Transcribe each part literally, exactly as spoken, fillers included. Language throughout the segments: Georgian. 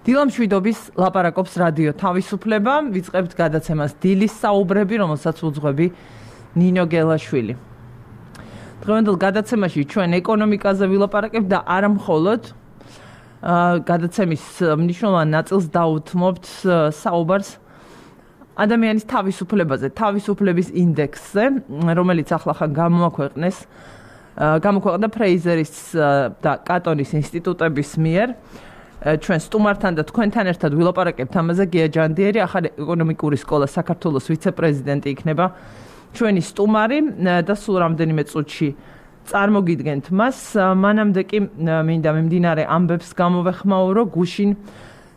დილამშვიდობის ლაპარაკობს რადიო თავისუფლება, ვიწყებთ გადაცემას დილის საუბრები, რომელსაც უძღვები ნინო გელაშვილი. დღევანდელ გადაცემაში ჩვენ ეკონომიკაზე ვილაპარაკებთ და არა მხოლოდ გადაცემის მნიშვნელოვან ნაწილს დაუთმობთ საუბარს ადამიანის თავისუფლებაზე, თავისუფლების ინდექსზე, რომელიც ახლახან გამოაქვეყნეს, გამოქვეყნდა ფრეიზერის და კატონის ინსტიტუტების მიერ. ჩვენ სტუმართან და თქვენთან ერთად ვილაპარაკებთ ამაზე. გია ჯანდიერი, ახალი ეკონომიკური სკოლა საქართველოს ვიცე-პრეზიდენტი იქნება ჩვენი სტუმარი და სულ რამდენიმე წუთში წარმოგიდგენთ მას. მანამდე კი მინდა მიმდინარე ამბებს გამოვეხმაურო. გუშინ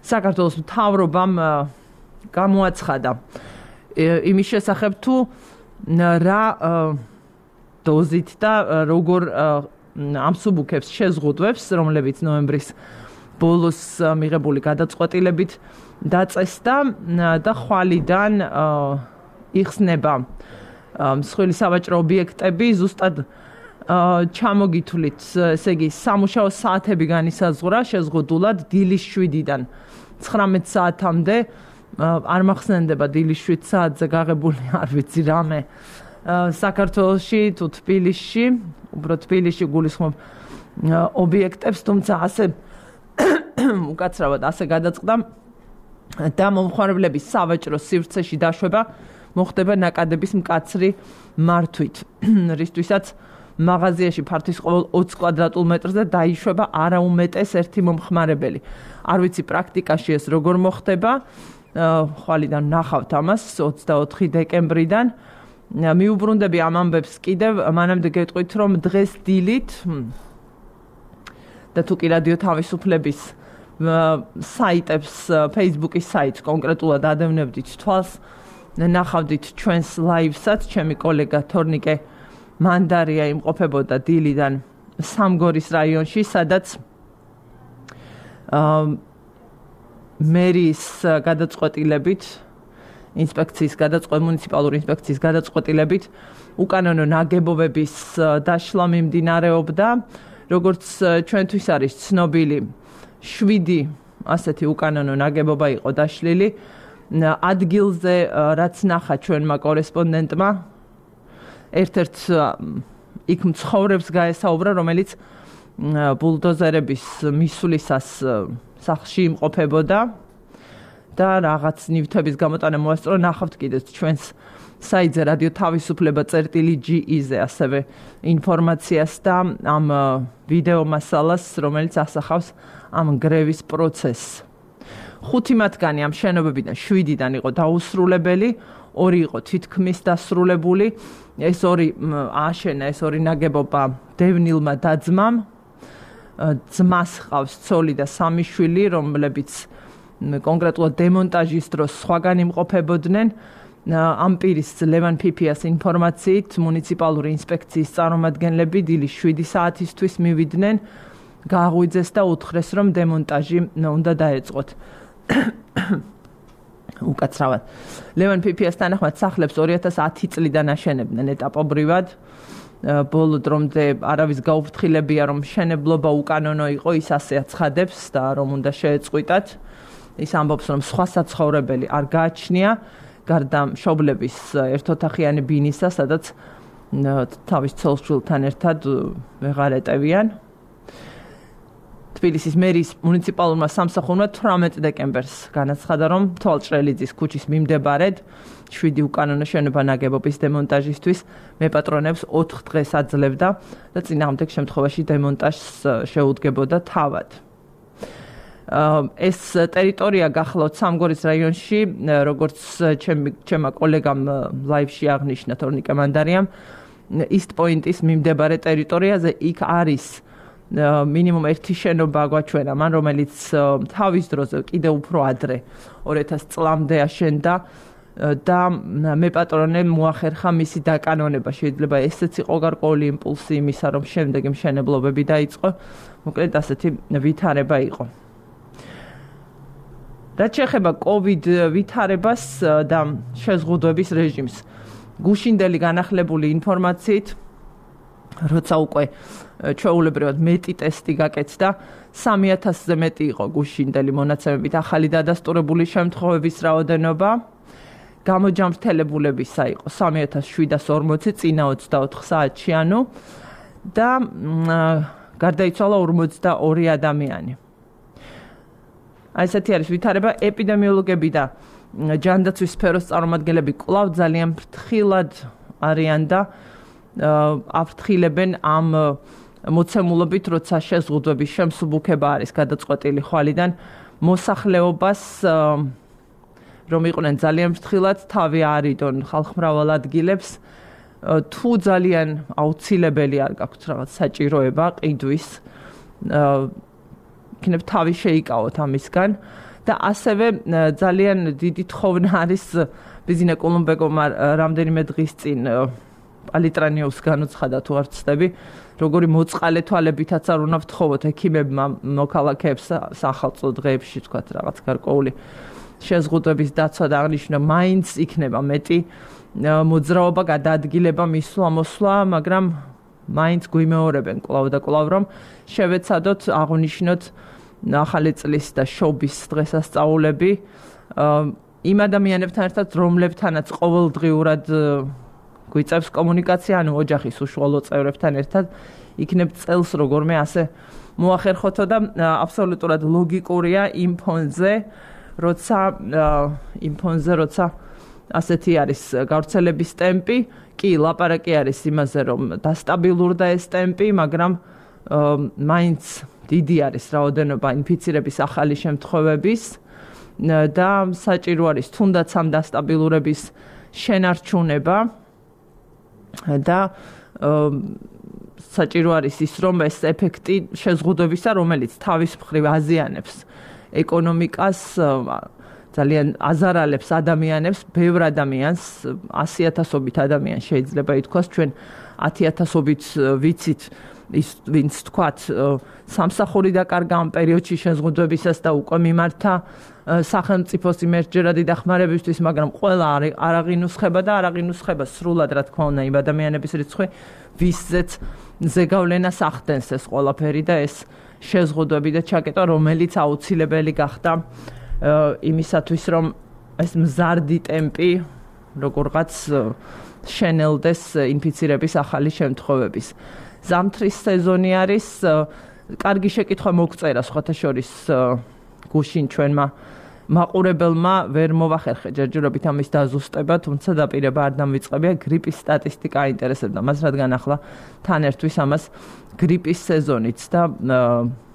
საქართველოს მთავრობამ გამოაცხადა იმის შესახებ, თუ რა დოზით და როგორ ამსუბუქებს შეზღუდვებს, რომლებიც ნოემბრის ბოლოს მიღებული გადაწყვეტილებით დაწესდა და ხვალიდან იხსნება მსხვილი სავაჭრო ობიექტები, ზუსტად ჩამოგითვლით, ესე იგი სამუშაო საათები განისაზღვრა შეზღუდულად დილის შვიდიდან ცხრამეტ საათამდე. არ მახსენდება დილის შვიდ საათზე გაღებული არ ვიცი რამე საქართველოში თუ თბილისში, უბრალოდ თბილისში გულისხმობ ობიექტებს, თუმცა ასე უკაცრავად ასე გადაწყდა და მომხმარებლების სავაჭრო სივრცეში დაშვება მოხდება ნაკადების მკაცრი მართვით, რისთვისაც მაღაზიაში ფართის ყოველ ოცი კვადრატულ მეტრზე დაიშვება არაუმეტეს ერთი მომხმარებელი. არ ვიცი პრაქტიკაში ეს როგორ მოხდება, ხვალიდან ნახავთ ამას ოცდაოთხი დეკემბრიდან. მიუბრუნდები ამ ამბებს კიდევ, მანამდე გეტყვით, რომ დღეს დილით და თუ კი რადიო თავისუფლების საიტებს, Facebook-ის საიტს კონკრეტულად ადევნებდით თვალს, ნახავდით ჩვენს ლაივსაც, ჩემი კოლეგა თორნიკე მანდარია იმყოფებოდა დილიდან სამგორის რაიონში, სადაც მერის გადაწყვეტილებით, ინსპექციის გადაწყვეტ მუნიციპალური ინსპექციის გადაწყვეტილებით უკანონო ნაგებობების დაშლა მიმდინარეობდა. როგორც ჩვენთვის არის ცნობილი, შვიდი ასეთი უკანონო ნაგებობა იყო დაშლილი. ადგილზე რაც ნახა ჩვენმა კორესპონდენტმა, ერთ-ერთ იქ მცხოვრებს გაესაუბრა, რომელიც ბულდოზერების მისვლისას სახლში იმყოფებოდა და რაღაც ნივთების გამოტანა მოასწრო. ნახავთ კიდეც ჩვენს საიტზე რადიო თავისუფლება წერტილი ჯი-ზე ასევე ინფორმაციას და ამ ვიდეო მასალას, რომელიც ასახავს ამ გრევის პროცესს. ხუთი მათგანი ამ შენობებიდან შვიდიდან იყო დაუსრულებელი, ორი იყო თითქმის დასრულებული. ეს ორი ააშენა, ეს ორი ნაგებობა დევნილმა დაძმამ. ძმას ჰყავს ცოლი და სამი შვილი, რომლებიც კონკრეტულად დემონტაჟის დროს სხვაგან იმყოფებოდნენ. ამ პირის ლევან ფიფიას ინფორმაციით მუნიციპალური ინსპექციის წარმომადგენლები დილის შვიდი საათისთვის მივიდნენ, გააღვიძეს და უთხრეს, რომ დემონტაჟი უნდა დაეწყოთ. უკაცრავად. ლევან ფიფიას თანახმად სახლებს ორი ათას ათი წლიდან აშენებდნენ ეტაპობრივად. ბოლო დრომდე არავის გაუფრთხილებია, რომ მშენებლობა უკანონო იყო, ის ასე აცხადებს და რომ უნდა შეეწყვიტათ. ის ამბობს, რომ სხვა საცხოვრებელი არ გააჩნია, გარდა მშობლების ერთოთახიანი ბინისა, სადაც თავის ცოლ-შვილთან ერთად ვეღარ ეტევიან. თბილისის მერის მუნიციპალურმა სამსახურმა თვრამეტ დეკემბერს განაცხადა, რომ თვალჭრელიძის ქუჩის მიმდებარედ შვიდი უკანონო შენობა ნაგებობის დემონტაჟისთვის მეპატრონებს ოთხ დღეს აძლევდა და წინააღმდეგ შემთხვევაში დემონტაჟს შეუდგებოდა თავად. ეს ტერიტორია გახლავთ სამგორის რაიონში, როგორც ჩემმა კოლეგამ ლაივში აღნიშნა თორნიკე მანდარიამ, East Point-ის მიმდებარე ტერიტორიაზე იქ არის მინიმუმ ერთი შენობა გვაჩვენა მან, რომელიც თავის დროზე კიდევ უფრო ადრე ორი ათასი წლამდე აშენდა და მეპატრონემ მოახერხა მისი დაკანონება. შეიძლება ესეც იყო გარკვეული იმპულსი იმისა, რომ შემდეგი მშენებლობები დაიწყო. მოკლედ ასეთი ვითარება იყო. რაც შეეხება COVID ვითარებას და შეზღუდვების რეჟიმს, გუშინდელი განახლებული ინფორმაციით როცა უკვე ჩვეულებრივად მეტი ტესტი გაკეთდა, სამი ათასზე მეტი იყო გუშინდელი მონაცემებით ახალი დადასტურებული შემთხვევების რაოდენობა. გამოჯამრთელებულებისა იყო სამი ათას შვიდას ორმოცი წინა ოცდაოთხ საათში, ანუ და გარდაიცვალა ორმოცდაორი ადამიანი. აი ესეთი არის ვითარება. ეპიდემიოლოგები და ჯანდაცვის სფეროს წარმომადგენლები კვლავ ძალიან ფრთხილად არიან და აფრთხილებენ ამ მოცემულობით, როცა შეზღუდვების შემსუბუქება არის გადაწყვეტილი ხვალიდან მოსახლეობას რომ იყვნენ ძალიან ფრთხილად, თავი არიდონ ხალხმრავალ ადგილებს, თუ ძალიან აუცილებელი არ გაქვთ რაღაც საჭიროება ყიდვის, იქნებ თავი შეიკავოთ ამისგან და ასევე ძალიან დიდი თხოვნა არის ბიზინა კოლუმბეგომა რამდენიმე დღის წინ პალიტრანიუს განუცხადა თუ არ ვცდები, როგორი მოწყალე თვალებითაც არ უნდა ვთხოვოთ ექიმებმა მოქალაქეებს სახალხო დღეებში თქვათ რაღაც გარკვეული შეზღუდვების დაცვა და აღნიშნა მაინც იქნება მეტი მოძრაობა გადაადგილება მისვლა-მოსვლა, მაგრამ მაინც გვიმეორებენ კვლავ და კვლავ რომ შევეცადოთ აღნიშნოთ ახალი წლის და შობის დღესასწაულები იმ ადამიანებთან ერთად, რომლებთანაც ყოველდღიურად გვიწევს კომუნიკაცია, ანუ ოჯახის უშუალო წევრებთან ერთად, იქნებ წელს როგორმე ასე მოახერხოთო და აბსოლუტურად ლოგიკურია იმ ფონზე, როცა იმ ფონზე, როცა ასეთი არის გავრცელების ტემპი, კი, ლაპარაკი არის იმაზე, რომ დასტაბილურდა ეს ტემპი, მაგრამ მაინც დიდი არის რაოდენობა ინფიცირების ახალი შემთხვევების და საჭირო არის თუნდაც ამ დასტაბილურების შენარჩუნება და საჭირო არის ის, რომ ეს ეფექტი შეზღუდვებისა, რომელიც თავის მხრივ აზიანებს ეკონომიკას, ძალიან აზარალებს ადამიანებს, ბევრ ადამიანს, ასი ათასობით ადამიანს შეიძლება ითქვას, ჩვენ ათი ათასობით ვიცით ის ვინც თქვათ სამსახური დაკარგა ამ პერიოდში შეზღუდვებისას და უკვე მიმართა სახელმწიფოს იმერჯერადი დახმარებისთვის, მაგრამ ყველა არ აღინუსხება და არ აღინუსხება სრულად, რა თქმა უნდა, იმ ადამიანების რიცხვი, ვისზეც ზეგავლენას ახდენს ეს ყველაფერი და ეს შეზღუდვები და ჩაკეტვა, რომელიც აუცილებელი გახდა იმისათვის, რომ ეს მზარდი ტემპი როგორღაც შენელდეს ინფიცირების ახალი შემთხვევების. ზამთრის სეზონი არის, კარგი შეკითხვა მოგწერა სხვათა შორის გუშინ ჩვენმა მაყურებელმა ვერ მოვახერხე ჯერჯერობით ამის დაზუსტება, თუმცა დაპირება არ დამვიწყებია, გრიპის სტატისტიკა აინტერესებდა მას, რადგან ახლა თან ერთვის ამას გრიპის სეზონიც და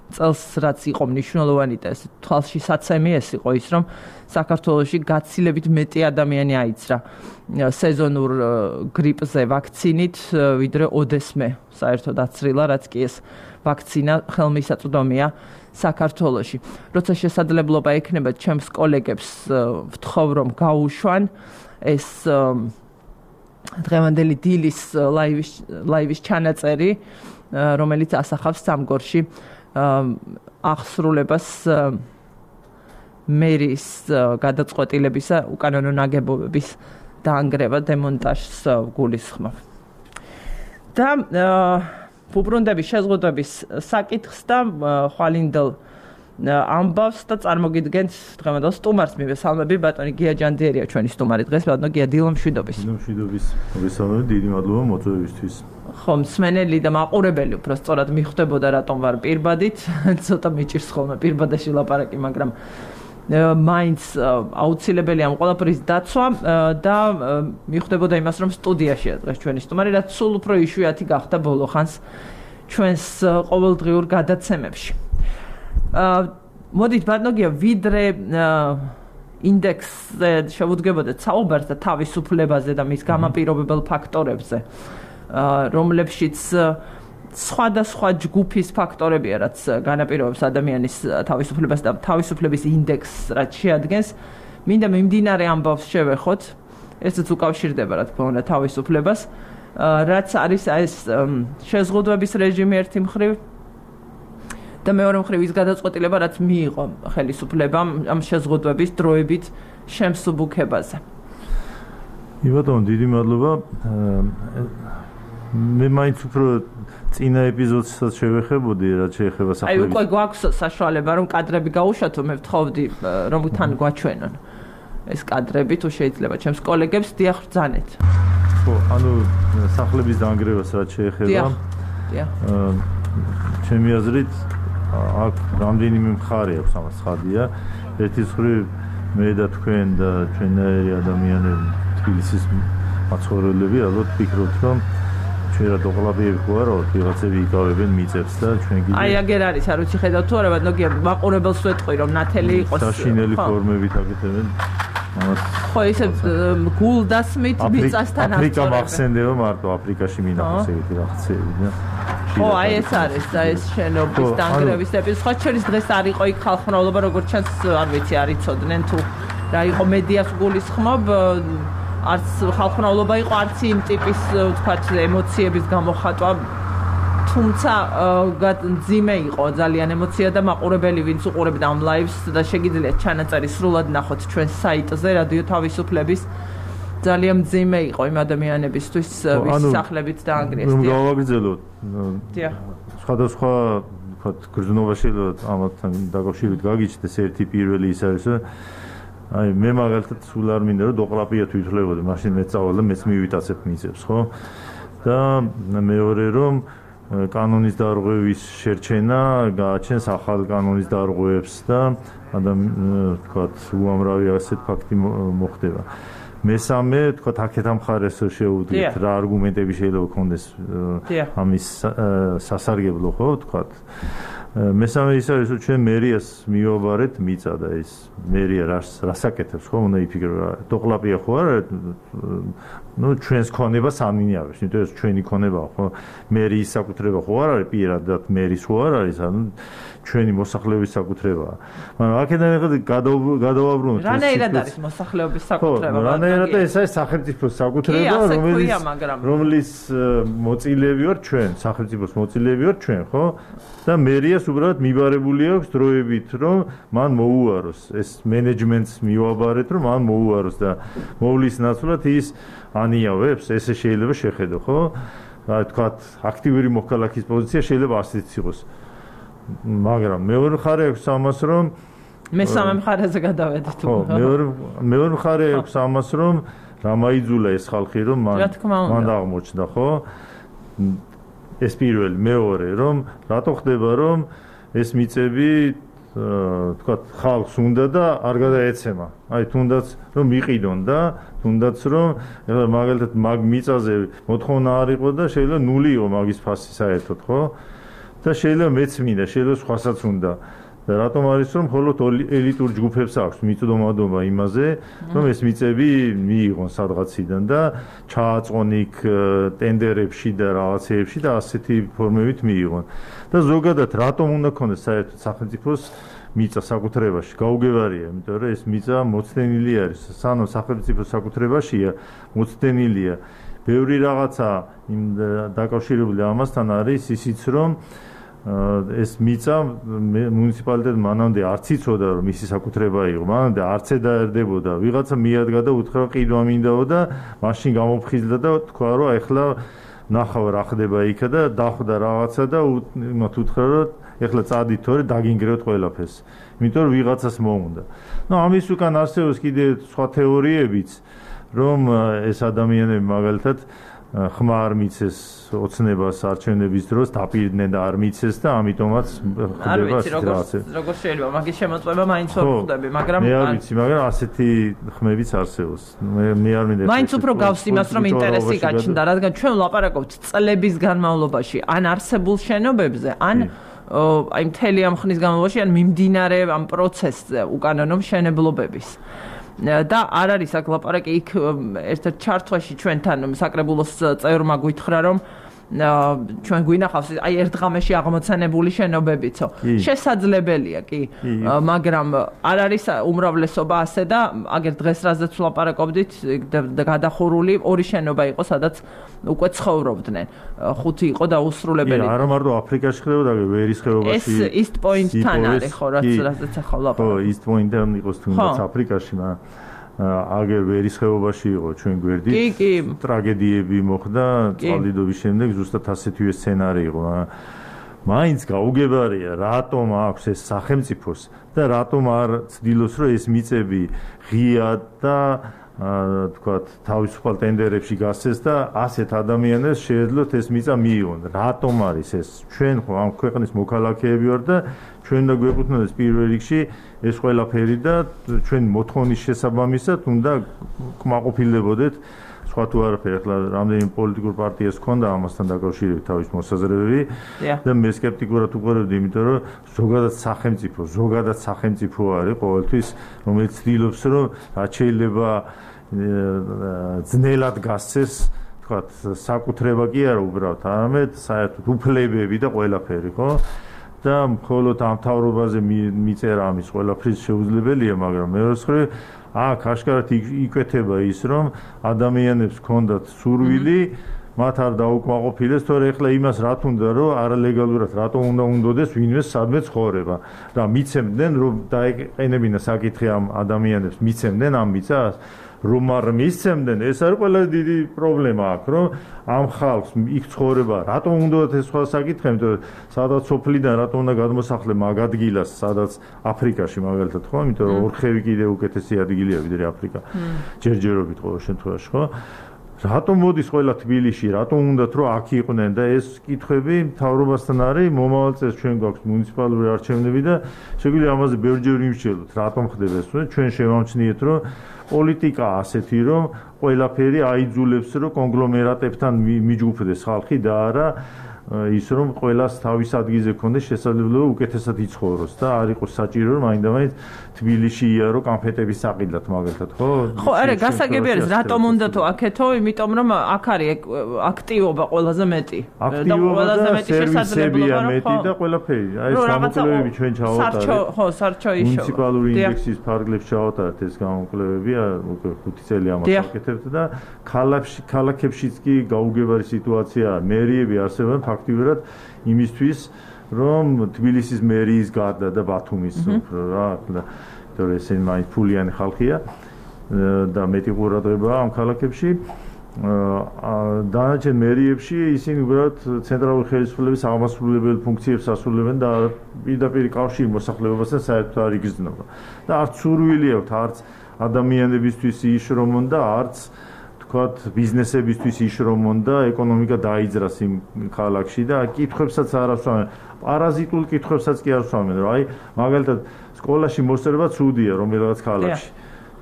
წელს რაც იყო მნიშვნელოვანი და ეს თვალში საცემი ეს იყო ის, რომ საქართველოში გაცილებით მეტი ადამიანი აიცრა სეზონურ გრიპზე ვაქცინით, ვიდრე ოდესმე საერთოდ აცრილა, რაც კი ეს ვაქცინა ხელმისაწვდომია საქართველოში. როცა შესაძლებლობა ექნება ჩემს კოლეგებს ვთხოვ, რომ გაუშვან ეს დღევანდელი დილის ლაივის ლაივის ჩანაწერი, რომელიც ასახავს სამგორში აღსრულებას მერის გადაწყვეტილებისა უკანონო ნაგებობების დაანგრევა დემონტაჟს გულისხმობ. და უბრუნდების შეზღუდვების საკითხს და ხვალინდელ ამბავს და წარმოგიდგენთ დღევანდელ სტუმარს მივესალმები, ბატონი გია ჯანდიერია ჩვენი სტუმარი დღეს, ბატონო გია დილომშვიდობის. დილომშვიდობის. მოგესალმებით, დიდი მადლობა მოწვევისთვის. ხო, მსმენელი და მაყურებელი უფრო სწორად მიხვდებოდა რატომ ვარ პირბადით, ცოტა მიჭირს ხოლმე პირბადაში ლაპარაკი, მაგრამ მაინც აუცილებელი ამ ყველაფრის დაცვა და მიხვდებოდა იმას, რომ სტუდიაშია დღეს ჩვენი სტუმარი, რაც სულ უფრო იშვიათი გახდა ბოლო ხანს ჩვენს ყოველდღიურ გადაცემებში. მოდით ბატონო გია, ვიდრე ინდექსზე შევუდგებოდეთ საუბარს და თავისუფლებაზე და მის გამაპირობებელ ფაქტორებზე, რომლებშიც სხვადასხვა ჯგუფის ფაქტორებია, რაც განაპირობებს ადამიანის თავისუფლებას და თავისუფლების ინდექსს, რაც შეადგენს, მინდა მიმდინარე ამბავს შევეხოთ, ესეც უკავშირდება, რა თქმა უნდა, თავისუფლებას, რაც არის ეს შეზღუდვების რეჟიმი ერთი მხრივ და მეორე მხრივ ის გადაწყვეტილება, რაც მიიღო ხელისუფლებამ ამ შეზღუდვების დროებით შემსუბუქებაზე. იბატონო, დიდი მადლობა. მე მაინც უფრო წინა ეპიზოდსაც შევეხებოდი, რაც შეეხება სახლების. აი, უკვე გვაქვს საშუალება, რომ კადრები გაუშვათო, მე ვთხოვდი, რომ თან გვაჩვენონ ეს კადრები, თუ შეიძლება ჩემს კოლეგებს დიახ ბრძანეთ. ხო, ანუ სახლების დანგრევას რაც შეეხება. დიახ. დიახ. ჩემი აზრით აქ რამდენიმე მხარე აქვს ამას ხადია. ერთი მხრივ მე და თქვენ და ჩვენნაირი ადამიანები თბილისის მაცხოვრებლები ალბათ ფიქრობთ, რომ ჩვენ რა დოყლაბიები ხوار, ვიღაცები იკავებენ მიწებს და ჩვენ კიდე აი აგერ არის, არ ვიცი ხედავთ თუ არა, მაგრამ ნოგია მაყურებელს ვეთყვი, რომ ნათელი იყოს საშინელი ფორმებით აკეთებენ. ამას ხო, ისე გულდასმით მიწასთან ასწორებენ. აფრიკა მახსენდება მარტო აფრიკაში მინახავს ეგეთი რაღაცები და ხო, აი ეს არის და ეს შენობის დანგრევის ეპიზოდი. სხვა შორის დღეს არ იყო იქ ხალხმრავლობა, როგორც ჩანს, არ ვიცი, არ იცოდნენ თუ რა იყო მედიას გულისხმობ, არც ხალხმრავლობა იყო, არც იმ ტიპის, ვთქვათ, ემოციების გამოხატვა. თუმცა ძიმე იყო ძალიან ემოცია და მაყურებელი ვინც უყურებდა ამ ლაივს და შეგიძლიათ ჩანაწერი სრულად ნახოთ ჩვენ საიტზე რადიო თავისუფლების ძალიან ძიმე იყო იმ ადამიანებისთვის ვის სახლებით დაანგრიეს. რომ გავაგრძელოთ. დიახ. სხვადასხვა ვთქვათ გრძნობა შეიძლება ამათთან დაკავშირებით გაგიჩნდეს ერთი პირველი ის არის რომ აი მე მაგალითად სულ არ მინდა რომ დოყლაპია თვითლებოდი, მაშინ მეც წავალ და მეც მივიტაცებ მიწებს, ხო? და მეორე რომ კანონის დარღვევის შერჩენა გააჩენს ახალ კანონის დარღვევებს და ადამიანს ვთქვათ უამრავი ასეთ ფაქტი მოხდება. მესამე ვთქვათ აქეთ ამ მხარეს შეუდგეთ რა არგუმენტები შეიძლება გქონდეს ამის სასარგებლო, ხო ვთქვათ. მესამე ის არის რომ ჩვენ მერიას მივაბარეთ მიწა და ეს მერია რას რასაკეთებს, ხო უნდა იფიქრო დოყლაპია ხო არა ну ჩვენს ქონებას ამინიავებს, იმიტომ ეს ჩვენი ქონება ხო მერიის საკუთრება ხო არ არის პირადად მერის ხო არ არის, ანუ ჩვენი მოსახლეობის საკუთრებაა. მაგრამ აქედან ეხლა გადავაბრუნოთ ეს რანაირად არის მოსახლეობის საკუთრება? ხო, რანაირად ეს არის სახელმწიფოს საკუთრება, რომელიც რომლის მოწილეები ვარ ჩვენ, სახელმწიფოს მოწილეები ვარ ჩვენ, ხო? და მერიას უბრალოდ მიბარებული აქვს დროებით, რომ მან მოუაროს ეს მენეჯმენტს მივაბარეთ, რომ მან მოუაროს და მოვლის ნაცვლად ის ანიავებს, ესე შეიძლება შეხედო, ხო? რა თქვათ, აქტიური მოქალაქის პოზიცია შეიძლება ასეც იყოს. მაგრამ მეორე მხარე აქვს ამას, რომ მესამე მხარეზე გადავედით. ხო, მეორე მეორე მხარე აქვს ამას, რომ რა მაიძულა ეს ხალხი, რომ მან მან აღმოჩნდა, ხო? ეს პირველი, მეორე, რომ რატო ხდება, რომ ეს მიწები თქვათ ხალხს უნდა და არ გადაეცემა. აი თუნდაც რომ მიყიდონ და თუნდაც რომ ეხლა მაგალითად მაგ მიწაზე მოთხოვნა არ იყო და შეიძლება ნული იყო მაგის ფასი საერთოდ, ხო? და შეიძლება მეც მინდა, შეიძლება სხვასაც უნდა. და რატომ არის რომ მხოლოდ ელიტურ ჯგუფებს აქვს მიწდომადობა იმაზე, რომ ეს მიწები მიიღონ სადღაციდან და ჩააწყონ იქ ტენდერებში და რაღაცეებში და ასეთი ფორმებით მიიღონ. და ზოგადად რატომ უნდა ქონდეს საერთოდ სახელმწიფოს მიწა საკუთრებაში? გაუგებარია, იმიტომ რომ ეს მიწა მოცდენილი არის. სანამ სახელმწიფოს საკუთრებაშია, მოცდენილია. ბევრი რაღაცა იმ დაკავშირებული ამასთან არის ისიც რომ ეს მიწა მუნიციპალიტეტ მანამდე არც იცოდა რომ მისი საკუთრება იყო, მანამდე არც ედაერდებოდა, ვიღაცა მიადგა და უთხრა ყიდვა მინდაო და მაშინ გამოფხიზდა და თქვა რომ ეხლა ნახავ რა ხდება იქა და დახვდა რაღაცა და მათ უთხრა რომ ეხლა წადით თორე დაგინგრევთ ყველაფერს, იმიტომ რომ ვიღაცას მოუნდა. ნუ ამის უკან არსებობს კიდე სხვა თეორიებიც, რომ ეს ადამიანები მაგალითად ხმარ მიცეს ოცნებას არჩევნების დროს დაპირდნენ და არ მიცეს და ამიტომაც ხდება სიტუაცია. როგორ შეიძლება მაგის შემოწმება მაინც ვერ ხვდები, მაგრამ მე არ ვიცი, მაგრამ ასეთი ხმებიც არსებობს. მე მე არ მინდა მაინც უფრო გავს იმას, რომ ინტერესი გაჩნდა, რადგან ჩვენ ვლაპარაკობთ წლების განმავლობაში ან არსებულ შენობებზე, ან აი მთელი ამ ხნის განმავლობაში, ან მიმდინარე ამ პროცესზე უკანონო მშენებლობების. და არ არის აქ ლაპარაკი იქ ერთ-ერთ ჩართვაში ჩვენთან საკრებულოს წევრმა გითხრა რომ ჩვენ გვინახავს აი ერთ დღამში აღმოცენებული შენობებიცო შესაძლებელია კი მაგრამ არ არის უმრავლესობა ასე და აგერ დღეს რაზეც ვლაპარაკობდით გადახურული ორი შენობა იყო სადაც უკვე ცხოვრობდნენ ხუთი იყო დაუსრულებელი არა მარტო აფრიკაში ხდებოდა ვერის ხეობაში ეს East Point-თან არის ხო რაც რაზეც ახლა ვლაპარაკობ ხო East Point-თან იყოს თუნდაც აფრიკაში მაგრამ აგერ ვერის ხეობაში იყო ჩვენ გვერდით ტრაგედიები მოხდა წყალდიდობის შემდეგ ზუსტად ასეთივე სცენარი იყო მაინც გაუგებარია რატომ აქვს ეს სახელმწიფოს და რატომ არ ცდილობს რომ ეს მიწები ღიად და თქვათ თავისუფალ ტენდერებში გასცეს და ასეთ ადამიანებს შეეძლოთ ეს მიწა მიიღონ რატომ არის ეს ჩვენ ხო ამ ქვეყნის მოქალაქეები ვარ და ჩვენ და გვეკუთვნოდეს პირველ რიგში ეს ყველაფერი და ჩვენ მოთხოვნის შესაბამისად უნდა კმაყოფილებოდეთ სხვა თუ არაფერი ახლა რამდენი პოლიტიკურ პარტიას ჰქონდა ამასთან დაკავშირებით თავის მოსაზრებები და მე სკეპტიკურად უყურებდი იმიტომ რომ ზოგადად სახელმწიფო ზოგადად სახელმწიფო არის ყოველთვის რომელიც ცდილობს რომ რაც შეიძლება ძნელად გასცეს თქვათ საკუთრება კი არა უბრალოდ არამედ საერთოდ უფლებები და ყველაფერი ხო და მხოლოდ ამ თავრობაზე მიწერა ამის ყველაფრის შეუძლებელია მაგრამ მეორე მხრივ აქ აშკარად იკვეთება ის რომ ადამიანებს ჰქონდათ სურვილი მათ არ დაუკმაყოფილეს თორე ახლა იმას რა თუნდა რომ არალეგალურად რატომ უნდა უნდოდეს ვინმე სადმე ცხოვრება და მიცემდნენ რომ დაეყენებინა საკითხი ამ ადამიანებს მიცემდნენ ამ მიწას რომ არ მისცემდნენ ეს არის ყველაზე დიდი პრობლემა აქ რომ ამ ხალხს იქ ცხოვრება რატომ უნდა ეს სხვა საკითხი იმიტომ რომ სადაც სოფლიდან რატომ უნდა გადმოსახლე მაგ ადგილას სადაც აფრიკაში მაგალითად ხო იმიტომ რომ ორხევი კიდე უკეთესი ადგილია ვიდრე აფრიკა ჯერჯერობით ყოველ შემთხვევაში ხო რატომ მოდის ყველა თბილისში რატომ უნდათ რომ აქ იყვნენ და ეს კითხვები მთავრობასთან არის მომავალ წელს ჩვენ გვაქვს მუნიციპალური არჩევნები და შეგვიძლია ამაზე ბევრჯერ ვიმსჯელოთ რატომ ხდება ეს ჩვენ შევამჩნიეთ რომ პოლიტიკა ასეთი რომ ყველაფერი აიძულებს რომ კონგლომერატებთან მიჯგუფდეს ხალხი და არა ის რომ ყველას თავის ადგილზე ქონდეს შესაძლებლობა უკეთესად იცხოვროს და არ იყოს საჭირო რომ მაინდა-მაინც თბილისში იარო კანფეტების საყიდლად მაგალითად ხო ხო არა გასაგები არის რატომ უნდა თუ აქეთო იმიტომ რომ აქ არის აქტივობა ყველაზე მეტი და ყველაზე მეტი შესაძლებლობა მეტი და ყველაფერი აი ეს გამოკვლევები ჩვენ ჩავატარეთ ხო სარჩო ისო მუნიციპალური ინდექსის ფარგლებში ჩავატარეთ ეს გამოკვლევები უკვე ხუთი წელი ამას ვაკეთებთ და ქალაქებში ქალაქებშიც კი გაუგებარი სიტუაციაა მერიები არსებობენ ფაქტიურად იმისთვის რომ თბილისის მერიის გარდა და ბათუმის უფრო რა იმიტომ რომ ესენი მაინც ფულიანი ხალხია და მეტი ყურადღებაა ამ ქალაქებში დანარჩენ მერიებში ისინი უბრალოდ ცენტრალური ხელისუფლების აღმასრულებელი ფუნქციებს ასრულებენ და პირდაპირ კავშირი მოსახლეობასთან საერთოდ არ იგრძნობა და არც სურვილი აქვთ არც ადამიანებისთვის ის რომ უნდა არც თქვათ ბიზნესებისთვის ის რომ უნდა ეკონომიკა დაიძრას იმ ქალაქში და კითხვებსაც არ ასვამენ პარაზიტულ კითხვებსაც კი არ ასვამენ რომ აი მაგალითად სკოლაში მოსწრება ცუდია რომელიღაც ქალაქში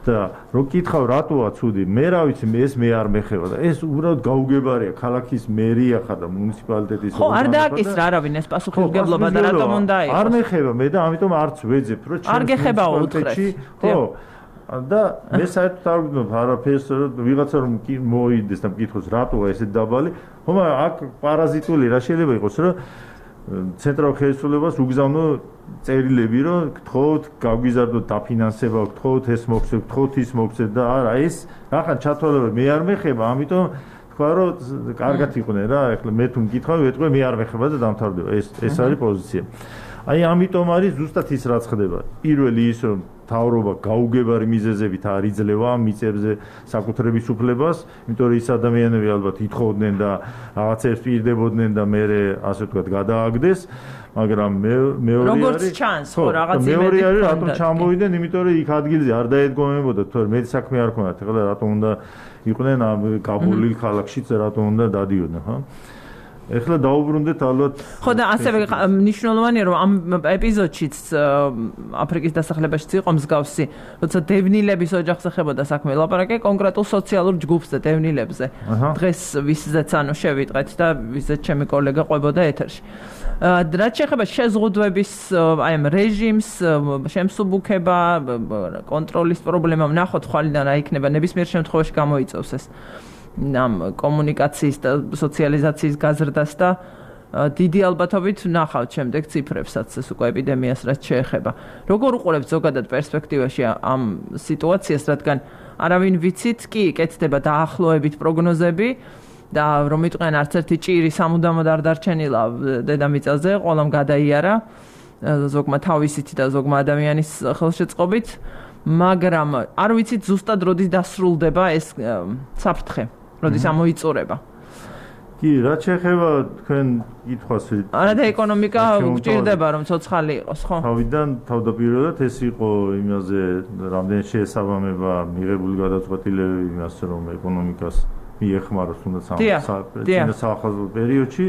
და რო კითხავ რატოა ცუდი მე რა ვიცი ეს მე არ მეხება და ეს უბრალოდ გაუგებარია ქალაქის მერია ხარ და მუნიციპალიტეტის ხო არ დააკისრა არავინ ეს პასუხისმგებლობა და რატომ უნდა იყოს არ მეხება მე და ამიტომ არც ვეძებ რომ არ გეხებაო უთხრეს ხო და მე საერთოდ არ ვგრძნობ არაფერს ვიღაცა რომ მოიდეს და მკითხოს რატოა ესე დაბალი ხომ აქ პარაზიტული რა შეიძლება იყოს რომ ცენტრალურ ხელისუფლებას უგზავნო წერილები რომ გთხოვთ გაგვიზარდოთ დაფინანსება გთხოვთ ეს მოგცეთ გთხოვთ ის მოგცეთ და არა ეს რახან ჩათვალება მე არ მეხება ამიტომ თქვა რომ კარგად იყვნენ რა ეხლა მე თუ მკითხავ ვეტყვი მე არ მეხება და დამთავრდება ეს ეს არის პოზიცია აი ამიტომ არის ზუსტად ის რაც ხდება პირველი ის რომ თავრობა გაუგებარი მიზეზებით არ იძლევა მიწებზე საკუთრების უფლებას, იმიტომ რომ ის ადამიანები ალბათ ითხოვდნენ და რაღაცებს პირდებოდნენ და მე ასე ვთქვათ გადააგდეს, მაგრამ მეორე არის როგორც ჩანს ხო რაღაც იმედი მეორე არის რატომ ჩამოვიდნენ, იმიტომ რომ იქ ადგილზე არ დაედგომებოდა, თორე მე საქმე არ ქონდათ, ეხლა რატომ უნდა იყვნენ ამ გაბურლილ ქალაქშიც რატომ უნდა დადიოდნენ, ხო? ეხლა დაუბრუნდეთ ალბათ ხო და ასევე მნიშვნელოვანია რომ ამ ეპიზოდშიც აფრიკის დასახლებაშიც იყო მსგავსი როცა დევნილების ოჯახს ეხებოდა საქმე ლაპარაკი კონკრეტულ სოციალურ ჯგუფს და დევნილებზე დღეს ვისზეც ანუ შევიტყეთ და ვისზეც ჩემი კოლეგა ყვებოდა ეთერში რაც შეეხება შეზღუდვების აი ამ რეჟიმს შემსუბუქება კონტროლის პრობლემა ვნახოთ ხვალიდან რა იქნება ნებისმიერ შემთხვევაში გამოიწევს ეს ამ კომუნიკაციის და სოციალიზაციის გაზრდას და დიდი ალბათობით ვნახავთ შემდეგ ციფრებსაც ეს უკვე ეპიდემიას რაც შეეხება. როგორ უყურებთ ზოგადად პერსპექტივაში ამ სიტუაციას, რადგან არავინ ვიცით, კი კეთდება დაახლოებით პროგნოზები და რომ იტყვიან არც ერთი ჭირი სამუდამოდ არ დარჩენილა დედამიწაზე, ყველამ გადაიარა ზოგმა თავისით და ზოგმა ადამიანის ხელშეწყობით. მაგრამ არ ვიცით ზუსტად როდის დასრულდება ეს საფრთხე, როდის ამოიწურება. კი, რაც შეეხება თქვენ კითხვას, არა და ეკონომიკა გჭირდება რომ ცოცხალი იყოს, ხო? თავიდან თავდაპირველად ეს იყო იმაზე, რამდენი შეესაბამება მიღებული გადაწყვეტილებები იმას, რომ ეკონომიკას მიეხმაროს თუნდაც ამ საახალწლო პერიოდში.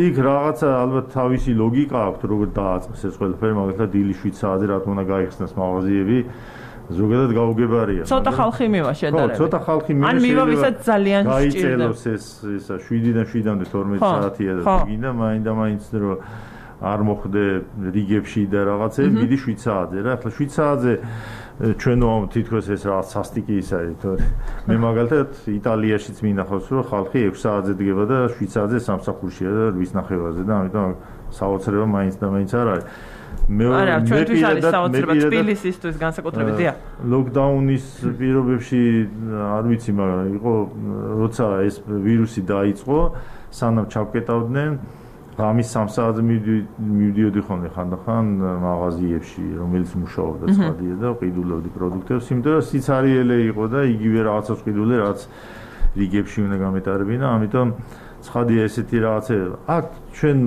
იქ რაღაცა ალბათ თავისი ლოგიკა აქვს, როგორ დააწყეს ეს ყველაფერი, მაგალითად დილის შვიდ საათზე რატომ უნდა გაიხსნას მაღაზიები. ზოგადად გაუგებარია. ცოტა ხალხი მივა შედარებით. ხო, ცოტა ხალხი მივა. ან მივა ვისაც ძალიან სჭირდება. გაიწეროს ეს ისა შვიდიდან შვიდამდე თორმეტი საათია და გინდა მაინდა მაინც რომ არ მოხდე რიგებში და რაღაცები, მიდი შვიდ საათზე რა. ახლა შვიდ საათზე ჩვენ თითქოს ეს რაღაც სასტიკი ის არის, თორე მე მაგალითად იტალიაშიც მინახავს რომ ხალხი ექვსი საათზე დგება და შვიდ საათზე სამსახურშია და რვის ნახევარზე და ამიტომ საოცრება მაინც და მაინც არ არის. არა, ჩვენთვის არის საოცრება თბილისისთვის განსაკუთრებით, დიახ. ლოკდაუნის პირობებში არ ვიცი, მაგრამ იყო როცა ეს ვირუსი დაიწყო, სანამ ჩავკეტავდნენ, ღამის სამ საათზე მივდიოდი ხოლმე ხანდახან მაღაზიებში, რომელიც მუშაობდა ცხადია და ყიდულობდი პროდუქტებს, იმიტომ რომ სიცარიელე იყო და იგივე რაღაცა ყიდული, რაც რიგებში უნდა გამეტარებინა, ამიტომ ცხადია ესეთი რაღაცა. აქ ჩვენ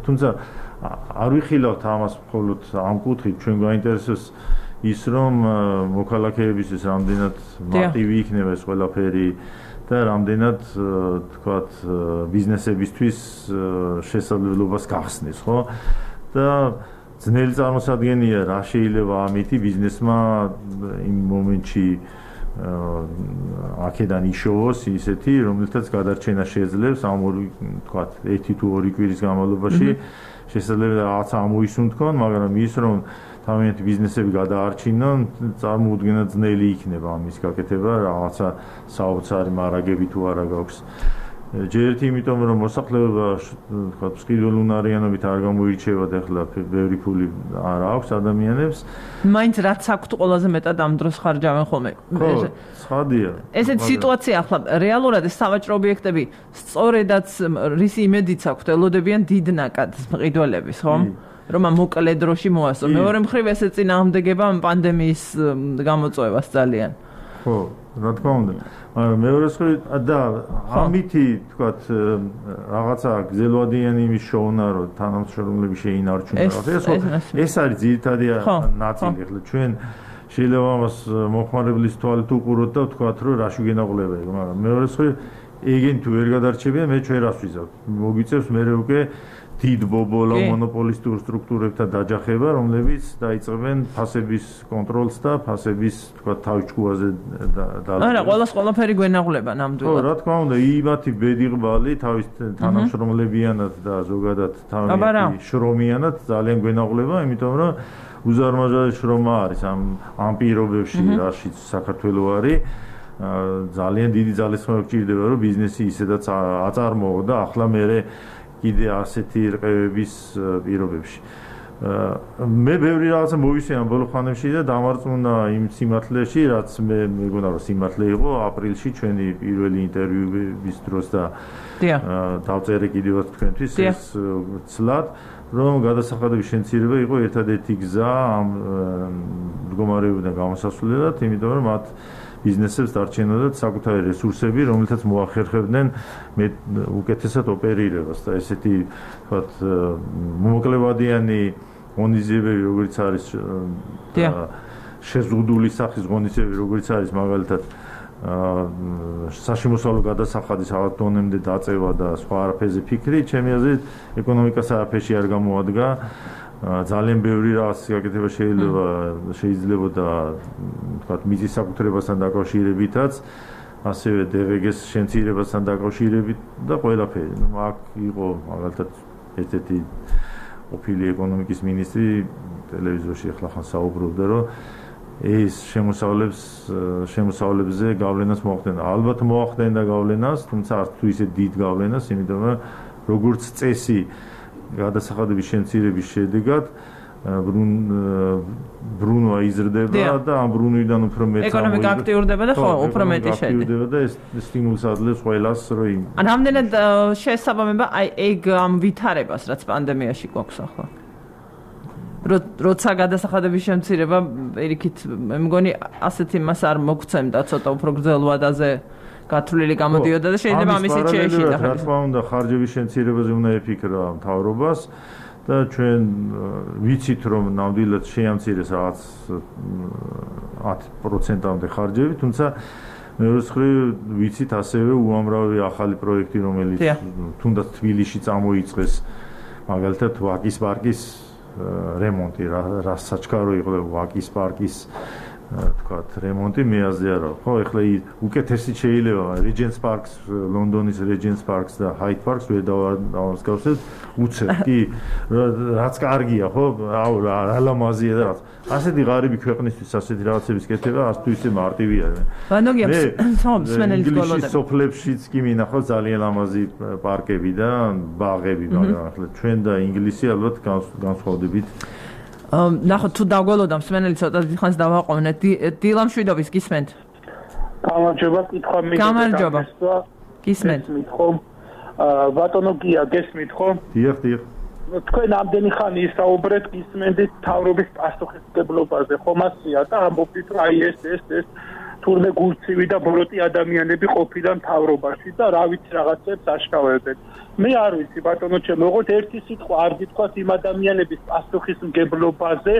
თუმცა არ ვიხილავთ ამას მხოლოდ ამ კუთხით, ჩვენ გვაინტერესებს ის რომ მოქალაქეებისთვის რამდენად მარტივი იქნება ეს ყველაფერი და რამდენად თქვათ ბიზნესებისთვის შესაძლებლობას გახსნის, ხო? და ძნელი წარმოსადგენია რა შეიძლება ამითი ბიზნესმა იმ მომენტში აქედან იშოვოს ისეთი, რომელთაც გადარჩენა შეძლებს ამ ორი თქვათ ერთი თუ ორი კვირის განმავლობაში შესაძლებელი რაღაცა ამოისუნთქონ, მაგრამ ის რომ თავიანთი ბიზნესები გადაარჩინონ, წარმოუდგენლად ძნელი იქნება ამის გაკეთება, რაღაცა საოცარი მარაგები თუ არა გაქვს. ჯერ ერთი იმიტომ რომ მოსახლეობა თქვა სკიდულუნარიანობით არ გამოირჩევა და ახლა ბევრი ფული არ აქვს ადამიანებს. მაინც რაც აქვთ ყველაზე მეტად ამ დროს ხარჯავენ ხოლმე. ხო, ცხადია. ესეთ სიტუაცია ახლა რეალურად ეს სავაჭრო ობიექტები სწორედაც რისი იმედიც აქვთ ელოდებიან დიდ ნაკადს მყიდველების, ხო? რომ მოკლე დროში მოასწრო. მეორე მხრივ ეს ეწინააღმდეგება პანდემიის გამოწვევას ძალიან. ხო, რა თქმა უნდა. მაგრამ მეორე მხრივ და ამითი თქვათ რაღაცა გზელვადიანი იმის შოვნა რომ თანამშრომლები შეინარჩუნონ რაღაცა. ეს არის ძირითადი ნაწილი. ახლა ჩვენ შეიძლება ამას მოხმარებლის თვალით უყუროთ და ვთქვათ რომ რა შეგენაღლება ეგ, მაგრამ მეორე მხრივ ეგენ თუ ვერ გადარჩებიან, მე ჩვენ რას ვიზავთ? მოგიწევს მე უკვე დიდ ბობოლა მონოპოლისტურ სტრუქტურებთან დაჯახება, რომლებიც დაიწყებენ ფასების კონტროლს და ფასების თქვა თავჭკუაზე და არა, ყველას ყველაფერი გვენაღლება ნამდვილად. ხო, რა თქმა უნდა, იმათი ბედიღბალი თავის თანამშრომლებიანად და ზოგადად თავის შრომიანად ძალიან გვენაღლება, იმიტომ რომ უზარმაზარი შრომა არის ამ ამ პირობებში, რაშიც საქართველოს არის. ძალიან დიდი ძალისხმევა გჭირდება, რომ ბიზნესი ისედაც აწარმოო და ახლა მე კიდე ასეთი რყევების პირობებში. მე ბევრი რაღაცა მოვისმენ ბოლო ხანებში და დამარწმუნა იმ სიმართლეში, რაც მე მეგონა რომ სიმართლე იყო ապრილში ჩვენი პირველი ინტერვიუების დროს და დავწერე კიდევაც თქვენთვის ეს ცლად, რომ გადასახადების შემცირება იყო ერთადერთი გზა ამ მდგომარეობიდან გამოსასვლელად, იმიტომ რომ მათ ბიზნესებს დარჩენოდათ საკუთარი რესურსები, რომელთაც მოახერხებდნენ მე უკეთესად ოპერირებას და ესეთი ვთქვათ მომოკლევადიანი ღონისძიებები, როგორც არის შეზღუდული სახის ღონისძიებები, როგორც არის მაგალითად საშემოსავლო გადასახადის რაღაც დონემდე დაწევა და სხვა არაფერზე ფიქრი, ჩემი აზრით ეკონომიკას არაფერში არ გამოადგა. ძალიან ბევრი რაღაც გაკეთება შეიძლება შეიძლებოდა თქვათ მიწის საკუთრებასთან დაკავშირებითაც, ასევე დე ვე გეს შემცირებასთან დაკავშირებით და ყველაფერი. ნუ აქ იყო მაგალითად ერთ-ერთი ყოფილი ეკონომიკის მინისტრი ტელევიზორში ახლა ხან საუბრობდა, რომ ეს შემოსავლებს შემოსავლებზე გავლენას მოახდენდა. ალბათ მოახდენდა გავლენას, თუმცა არც თუ ისე დიდ გავლენას, იმიტომ რომ როგორც წესი გადასახადების შემცირების შედეგად ბრუნვა იზრდება და ამ ბრუნვიდან უფრო მეტ ეკონომიკა აქტიურდება და ხო, უფრო მეტი შედეგი. აქტიურდება და ეს სტიმულს აძლევს ყველას, რომ ან რამდენად შეესაბამება აი ეგ ამ ვითარებას, რაც პანდემიაში გვაქვს ახლა. როცა გადასახადების შემცირება პირიქით მე მგონი ასეთი მას არ მოგცემდა ცოტა უფრო გრძელ ვადაზე გათვლილი გამოდიოდა და შეიძლება ამისით შეეშიდა. რა თქმა უნდა ხარჯების შემცირებაზე უნდა ეფიქრა მთავრობას და ჩვენ ვიცით რომ ნამდვილად შეამცირეს რაღაც ათი პროცენტამდე ხარჯები, თუმცა მეორე მხრივ ვიცით ასევე უამრავი ახალი პროექტი რომელიც თუნდაც თბილისში წამოიწყეს მაგალითად ვაკის პარკის რემონტი რა საჩქარო იყო ვაკის პარკის თქვათ რემონტი მეაზე არა ხო ეხლა უკეთესი შეიძლება Regents Parks ლონდონის Regents Parks და Hyde Parks ვერ დავასკავსებ უცებ კი რაც კარგია ხო რა ლამაზია და რაც ასეთი ღარიბი ქვეყნისთვის ასეთი რაღაცების კეთება არც თუ ისე მარტივი არ ბანოგია მსმენელის გოლოდები სოფლებშიც კი მინახავს ძალიან ლამაზი პარკები და ბაღები მაგრამ ახლა ჩვენ და ინგლისი ალბათ განსხვავდებით ნახოთ თუ დაგველოდა მსმენელი ცოტა ხანს დავაყოვნეთ დილამ შვიდობის გისმენთ გამარჯობა კითხვა მინდა გამარჯობა გისმენთ ხო ბატონო გია გესმით ხო დიახ დიახ თქვენ ამდენი ხანი ისაუბრეთ გისმენთ თავრობის პასუხისმგებლობაზე ხო მასია და ამბობთ რომ აი ეს ეს ეს თურმე გულცივი და ბოროტი ადამიანები ყოფილან თავრობაში და რა ვიცი რაღაცებს აშკავებენ მე არ ვიცი ბატონო ჩემო ოღონდ ერთი სიტყვა არ გითქვათ იმ ადამიანების პასუხისმგებლობაზე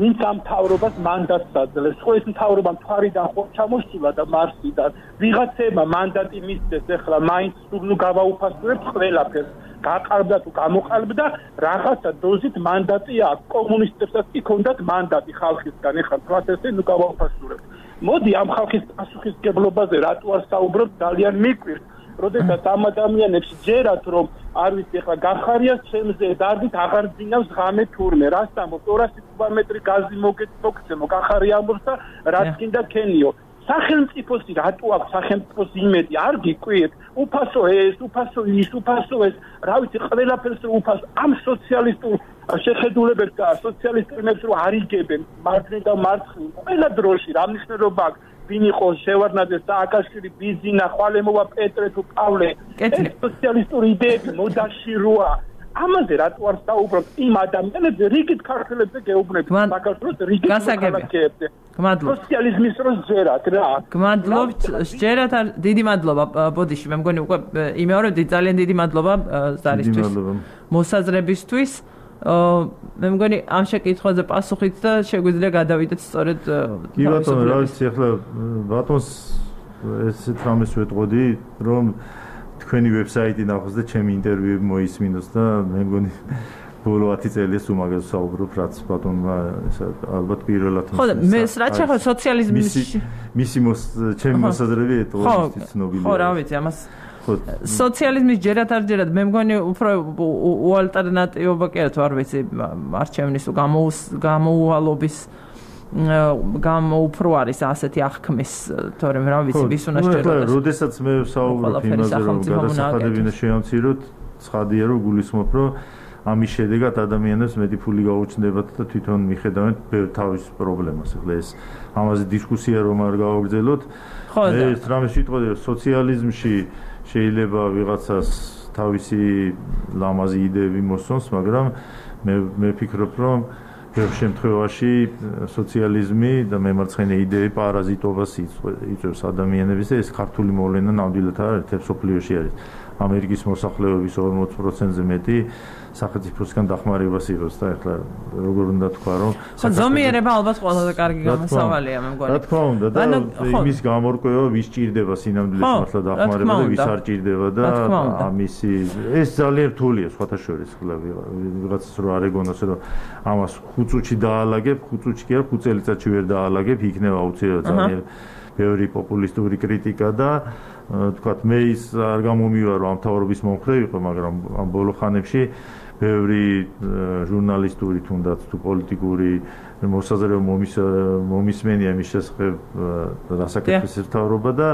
ვინც ამ თავრობას მანდატს აძლევს ხო ეს თავრობა მთვარიდან ხო ჩამოსულა და მარსიდან ვიღაცებმა მანდატი მისცეს ეხლა მაინც სულ გავაუფასურებთ ყველაფერს გაყალბდა თუ გამოყალბდა რაღაცა დოზით მანდატი აქვს კომუნისტებსაც კი ქონდათ მანდატი ხალხისგან ეხლა თქვათ ესე ნუ გავაუფასურებთ მოდი ამ ხალხის პასუხისმგებლობაზე რატო არ საუბრობ ძალიან მიკვირს როდესაც ამ ადამიანებს ჯერათ რომ არ ვიცი ეხლა გახარია ჩემზე დარდით აღარ ძინავს ღამე თურმე რას ამბობ ორასი კუბომეტრი გაზი მოგეცემო გახარია ამბობს და რაც კიდე ქენიო სახელმწიფოსი რატო აქვს სახელმწიფოს იმედი არ გიკვირთ უფასო ეს უფასო ის უფასო ეს რა ვიცი ყველაფერს უფასო ამ სოციალისტურ შეხედულებებს და სოციალისტებს რო არიგებენ მარცხნივ და მარცხნივ ყველა დროში რა მნიშვნელობა აქვს ვინ იყო შევარდნაძე სააკაშვილი ბიზინა ხვალემოვა პეტრე თუ პავლე ეს სოციალისტური იდეები მოდაში როა ამაზე რატო არ საუბრობთ იმ ადამიანებზე რიგით ქართველებზე გეუბნებით საქართველოს რიგით ქალაქებზე გმადლობთ სოციალიზმის დროს ჯერათ რა გმადლობთ ჯერათ დიდი მადლობა ბოდიში მე მგონი უკვე იმეორებდი ძალიან დიდი მადლობა ზარისთვის მოსაზრებისთვის მე მგონი ამ შეკითხვაზე პასუხით და შეგვიძლია გადავიდეთ სწორედ კი ბატონო რა ვიცი ახლა ბატონს ესეთ რამეს ვეტყოდი რომ თქვენი ვებსაიტი ნახოს და ჩემი ინტერვიუები მოისმინოს და მე მგონი ბოლო ათი წელია სულ მაგაზე საუბრობ რაც ბატონმა ესა ალბათ პირველად ხო და მე რაც ახლა სოციალიზმის მისი ჩემი მოსაზრები ეტყობისთვის ცნობილია ხო რა ვიცი ამას სოციალიზმის ჯერათ არ ჯერათ მე მგონი უფრო უალტერნატიობა კი არა თუ არ ვიცი არჩევნის გამოუვალობის გამო უფრო არის ასეთი აღქმის თორემ რა ვიცი ვის უნდა შეჭერდეს როდესაც მე ვსაუბრობ იმაზე რომ გადასახადები უნდა შეამციროთ ცხადია რომ გულისხმობ რომ ამის შედეგად ადამიანებს მეტი ფული გაუჩნდებათ და თვითონ მიხედავენ ბევრ თავის პრობლემას ახლა ეს ამაზე დისკუსია რომ არ გავაგრძელოთ მე ეს რამე სიტყვები სოციალიზმში შეიძლება ვიღაცას თავისი ლამაზი იდეები მოსწონს მაგრამ მე მე ვფიქრობ რომ ბევრ შემთხვევაში სოციალიზმი და მემარცხენე იდეები პარაზიტობას იწვევს ადამიანებს და ეს ქართული მოვლენა ნამდვილად არ არის თებს სოფლიოში არის ამერიკის მოსახლეობის ორმოც პროცენტზე მეტი სახელმწიფოსგან დახმარებას იღებს და ახლა როგორ უნდა თქვა რომ ხო ზომიერება ალბათ ყველაზე კარგი გამოსავალია მე მგონი რა თქმა უნდა და იმის გამორკვევა ვის ჭირდება სინამდვილეს მართლა დახმარება და ვის არ ჭირდება და ამისი ეს ძალიან რთულია სხვათა შორის ხლა ვიღაცას რო არ ეგონოს რომ ამას ხუთ წუთში დაალაგებ ხუთ წუთში კი არა ხუთ წელიწადში ვერ დაალაგებ იქნება აუცილებლად ძალიან ბევრი პოპულისტური კრიტიკა და თქვათ მე ის არ გამომივარო ამ თავრობის მომხრე იყო მაგრამ ამ ბოლო ხანებში ბევრი ჟურნალისტური თუნდაც თუ პოლიტიკური მოსაზრება მომისმენია მის შესახებ რასაკეთებს თავრობა და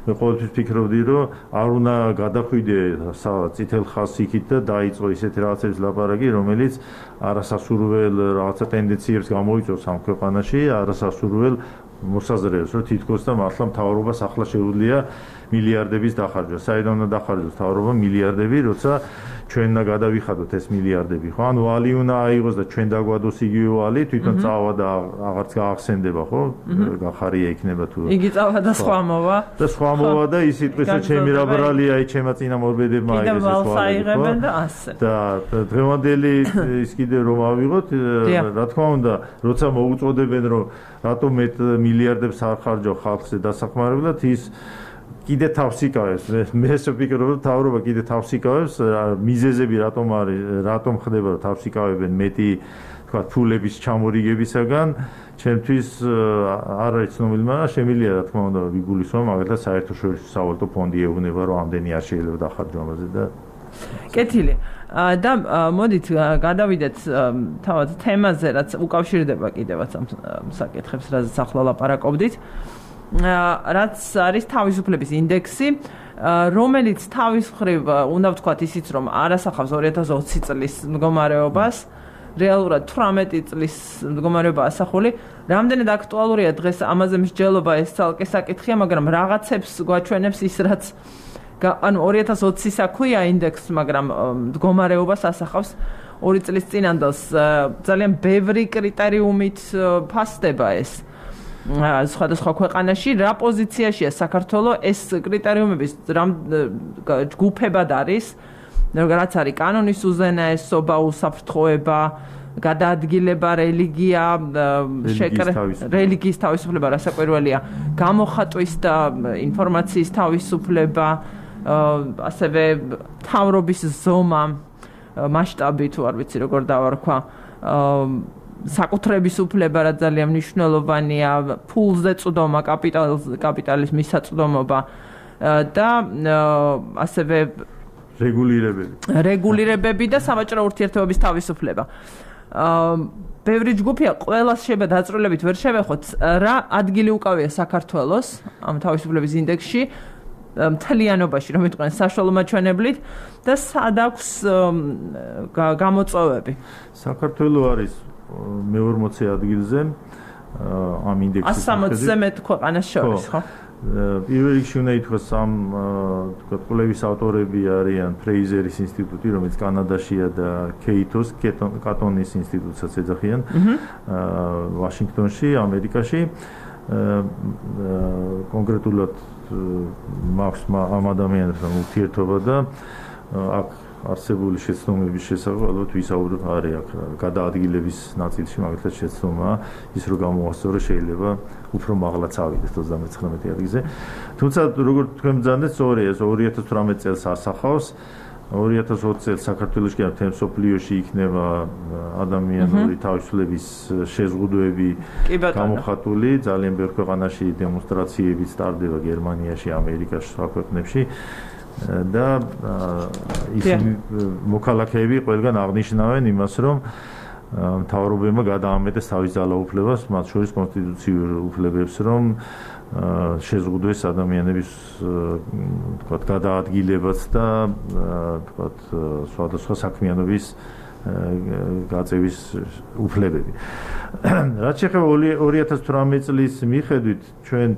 მე ყოველთვის ფიქრობდი რომ არ უნდა გადახვიდე წითელ ხაზს იქით და დაიწყო ისეთი რაღაცების ლაპარაკი რომელიც არასასურველ რაღაცა ტენდენციებს გამოიწვევს ამ ქვეყანაში არასასურველ მოსაზრებას რომ თითქოს და მართლა მთავრობას ახლა შეუძლია მილიარდების დახარჯვა. საერთოდ უნდა დახარჯოს მთავრობა მილიარდები, როცა ჩვენ და გადავიხადოთ ეს მილიარდები ხო ანუ ვალი უნდა აიღოს და ჩვენ დაგვადოს იგივე ვალი თვითონ წავა და აღარც გაახსენდება ხო გახარია იქნება თუ იგი წავა და სხვა მოვა და სხვა მოვა და ის იტყვის რომ ჩემი რა ბრალია აი ჩემა წინამორბედებმა აიღეს ეს ვალი და დღევანდელი ის კიდე რომ ავიღოთ რა თქმა უნდა როცა მოუწოდებენ რომ რატომ მეტ მილიარდებს არ ხარჯავ ხალხზე დასახმარებლად ის კიდე თავს იკავებს მე ეს ვფიქრობ რომ თავრობა კიდე თავს იკავებს მიზეზები რატომ არის რატომ ხდება რომ თავს იკავებენ მეტი თქვა ფულების ჩამორიგებისაგან ჩემთვის არ არის ცნობილი მაგრამ შემიძლია რა თქმა უნდა ვიგულისხმო მაგალითად საერთაშორისო სავალუტო ფონდი ეუბნება რომ ამდენი არ შეიძლება დახარჯო ამაზე და კეთილი და მოდით გადავიდეთ თავად თემაზე რაც უკავშირდება კიდევაც ამ საკითხებს რაზეც ახლა ლაპარაკობდით რაც არის თავისუფლების ინდექსი რომელიც თავის მხრივ უნდა ვთქვათ ისიც რომ არ ასახავს ორი ათას ოცი წლის მდგომარეობას რეალურად თვრამეტი წლის მდგომარეობა ასახული რამდენად აქტუალურია დღეს ამაზე მსჯელობა ეს ცალკე საკითხია მაგრამ რაღაცებს გვაჩვენებს ის რაც ანუ ორი ათას ოცის აქვეა ინდექსს მაგრამ მდგომარეობას ასახავს ორი წლის წინანდელს ძალიან ბევრი კრიტერიუმით ფასდება ეს სხვადასხვა ქვეყანაში რა პოზიციაშია საქართველოს ეს კრიტერიუმების ჯგუფებად არის რაც არის კანონის უზენაესობა უსაფრთხოება გადაადგილება რელიგია რელიგიის თავისუფლება რასაკვირველია გამოხატვის და ინფორმაციის თავისუფლება ასევე თავრობის ზომა მასშტაბი თუ არ ვიცი როგორ დავარქვა საკუთრების უფლება რა ძალიან მნიშვნელოვანია ფულზე წვდომა კაპიტალის მისაწვდომობა და ასევე რეგულირებები რეგულირებები და სავაჭრო ურთიერთობების თავისუფლება ბევრი ჯგუფია ყველას შეიძლება დაწვრილებით ვერ შევეხოთ რა ადგილი უკავია საქართველოს ამ თავისუფლების ინდექსში მთლიანობაში რომ ვიტყვენ საშუალო მაჩვენებლით და სად აქვს გამოწვევები საქართველოს არის მეორმოცე ადგილზე ამ ინდექსის ასი სამოცზე მეტ ქვეყანას შორის ხო პირველ რიგში უნდა ითქვას ამ თქვა კვლევის ავტორები არიან ფრეიზერის ინსტიტუტი რომელიც კანადაშია და კეითოს კატონის ინსტიტუტსაც ეძახიან ვაშინგტონში ამერიკაში კონკრეტულად მაქვს ამ ადამიანებთან ურთიერთობა და აქ არსებული შეცდომების შესახებ ალბათ ვისაუბრებ არის აქ გადაადგილების ნაწილში მაგალითად შეცდომა ის რომ გამოვასწორო შეიძლება უფრო მაღლაც ავიდეთ ოცდამეცხრამეტე ადგილზე თუმცა როგორ თქვენ ბრძანდეთ სწორია ეს ორი ათას თვრამეტ წელს ასახავს ორი ათას ოცი წელს საქართველოში და მთელ მსოფლიოში იქნება ადამიანური თავისუფლების შეზღუდვები გამოხატული ძალიან ბევრ ქვეყანაში დემონსტრაციებიც ტარდება გერმანიაში ამერიკაში სხვა ქვეყნებში და ისინი მოქალაქეები ყველგან აღნიშნავენ იმას რომ მთავრობებმა გადაამეტეს თავის ძალაუფლებას მათ შორის კონსტიტუციურ უფლებებს რომ შეზღუდვეს ადამიანების თქვათ გადაადგილებაც და თქვათ სხვადასხვა საქმიანობის გაწევის უფლებები რაც შეეხება ორი ათას თვრამეტ წლის მიხედვით ჩვენ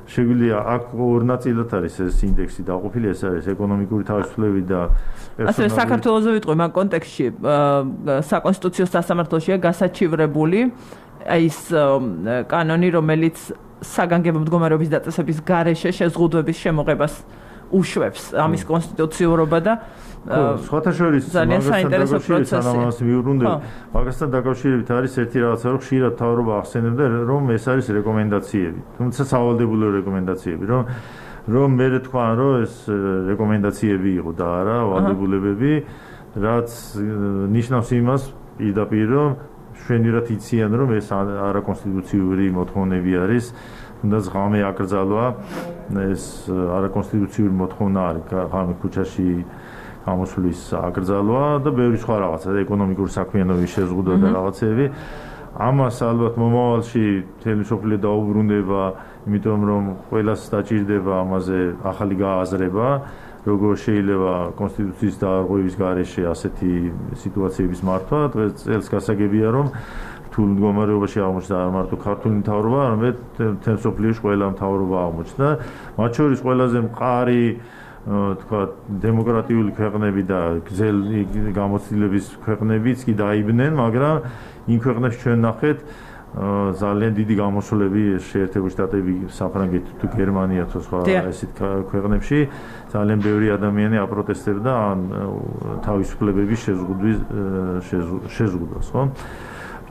შეგვიძლია აქ ორ ნაწილად არის ეს ინდექსი დაყოფილი ეს არის ეკონომიკური თავისუფლება და ასე საქართველოს ვიტყვი მაგ კონტექსტში საკონსტიტუციო სასამართლოშია გასაჩივრებული ის კანონი რომელიც საგანგებო მდგომარეობის დაწესების გარეშე შეზღუდვების შემოღებას უშვებს ამის კონსტიტუციურობა და სხვათა შორის მაგასთან დაკავშირებით მიუბრუნდები მაგასთან დაკავშირებით არის ერთი რაღაცა რომ ხშირად თავრობა ახსენებდა რომ ეს არის რეკომენდაციები თუმცა სავალდებულო რეკომენდაციები რომ რომ მე თქვა რომ ეს რეკომენდაციები იყო და არა ვალდებულებები რაც ნიშნავს იმას პირდაპირ რომ შვენიერად იციან რომ ეს არაკონსტიტუციური მოთხოვნები არის თუნდაც ღამე აკრძალვა ეს არაკონსტიტუციური მოთხოვნა არის ღამე ქუჩაში გამოსვლის აკრძალვა და ბევრი სხვა რაღაცა და ეკონომიკური საქმიანობის შეზღუდვა და რაღაცები ამას ალბათ მომავალში მთელი მსოფლიო დაუბრუნდება იმიტომ რომ ყველას დაჭირდება ამაზე ახალი გააზრება როგორ შეიძლება კონსტიტუციის დაარღვევის გარეშე ასეთი სიტუაციების მართვა დღეს წელს გასაგებია რომ რთულ მდგომარეობაში აღმოჩნდა არ მარტო ქართული მთავრობა არამედ მთელ მსოფლიოში ყველა მთავრობა აღმოჩნდა მათ შორის ყველაზე მყარი თქვა დემოკრატიული ქვეყნები და გზელი გამოცდილების ქვეყნებიც კი დაიბნენ, მაგრამ იმ ქვეყნებში ჩვენ ნახეთ ძალიან დიდი გამოსვლები შეერთებული შტატები, საფრანგეთი თუ გერმანია თუ სხვა ესეთ ქვეყნებში ძალიან ბევრი ადამიანი აპროტესტებდა ან თავისუფლებების შეზღუდვის შეზღუდვას, ხო?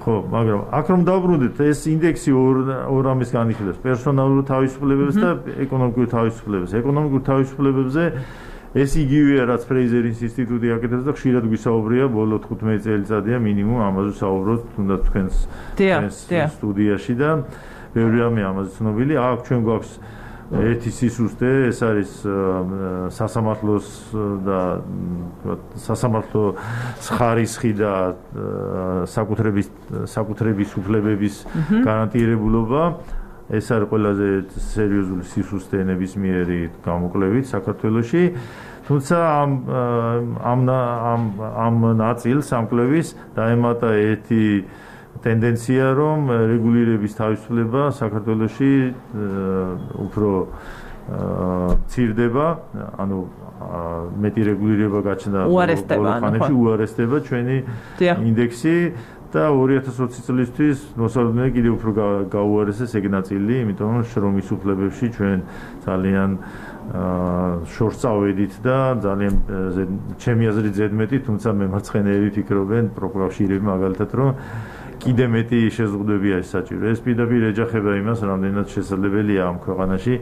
ხო, მაგრამ აქ რომ დავბრუნდეთ, ეს ინდექსი ორ ორ ამის განიხილავს პერსონალურ თავისუფლებებს და ეკონომიკურ თავისუფლებებს. ეკონომიკურ თავისუფლებებზე ეს იგივეა, რაც ფრეიზერის ინსტიტუტი აკეთებს და ხშირად გვისაუბრია, ბოლო თხუთმეტი წელიწადია მინიმუმ ამაზე საუბრობთ, თუნდაც თქვენს სტუდიაში და ბევრი რამე ამაზე ცნობილი. აქ ჩვენ გვაქვს ერთი სისუსტე, ეს არის სასამართლოს და სასამართლო ხარისხი და საკუთრების საკუთრების უფლებების გარანტირებულობა. ეს არის ყველაზე სერიოზული სისუსტე ნებისმიერი გამოკვლევით საქართველოში. თუმცა ამ ამ ამ ნაწილს ამკვლევის დაემატა ერთი ტენდენცია, რომ რეგულირების თავისუფლება საქართველოში უფრო მცირდება, ანუ მეტი რეგულირება გაჩნდა ხანებში, უარესდება ჩვენი ინდექსი და ორი ათას ოცი წლისთვის მოსალოდნელი კიდევ უფრო გაუარესეს ეგ ნაწილი, იმიტომ რომ შრომის უფლებებში ჩვენ ძალიან შორს წავედით და ძალიან ჩემი აზრით ზედმეტი, თუმცა მემარცხენეები ფიქრობენ, პროკავშირები მაგალითად, რომ კიდე მეტი შეზღუდვებია ეს საჭირო. ეს პირდაპირ ეჯახება იმას, რამდენად შესაძლებელია ამ ქვეყანაში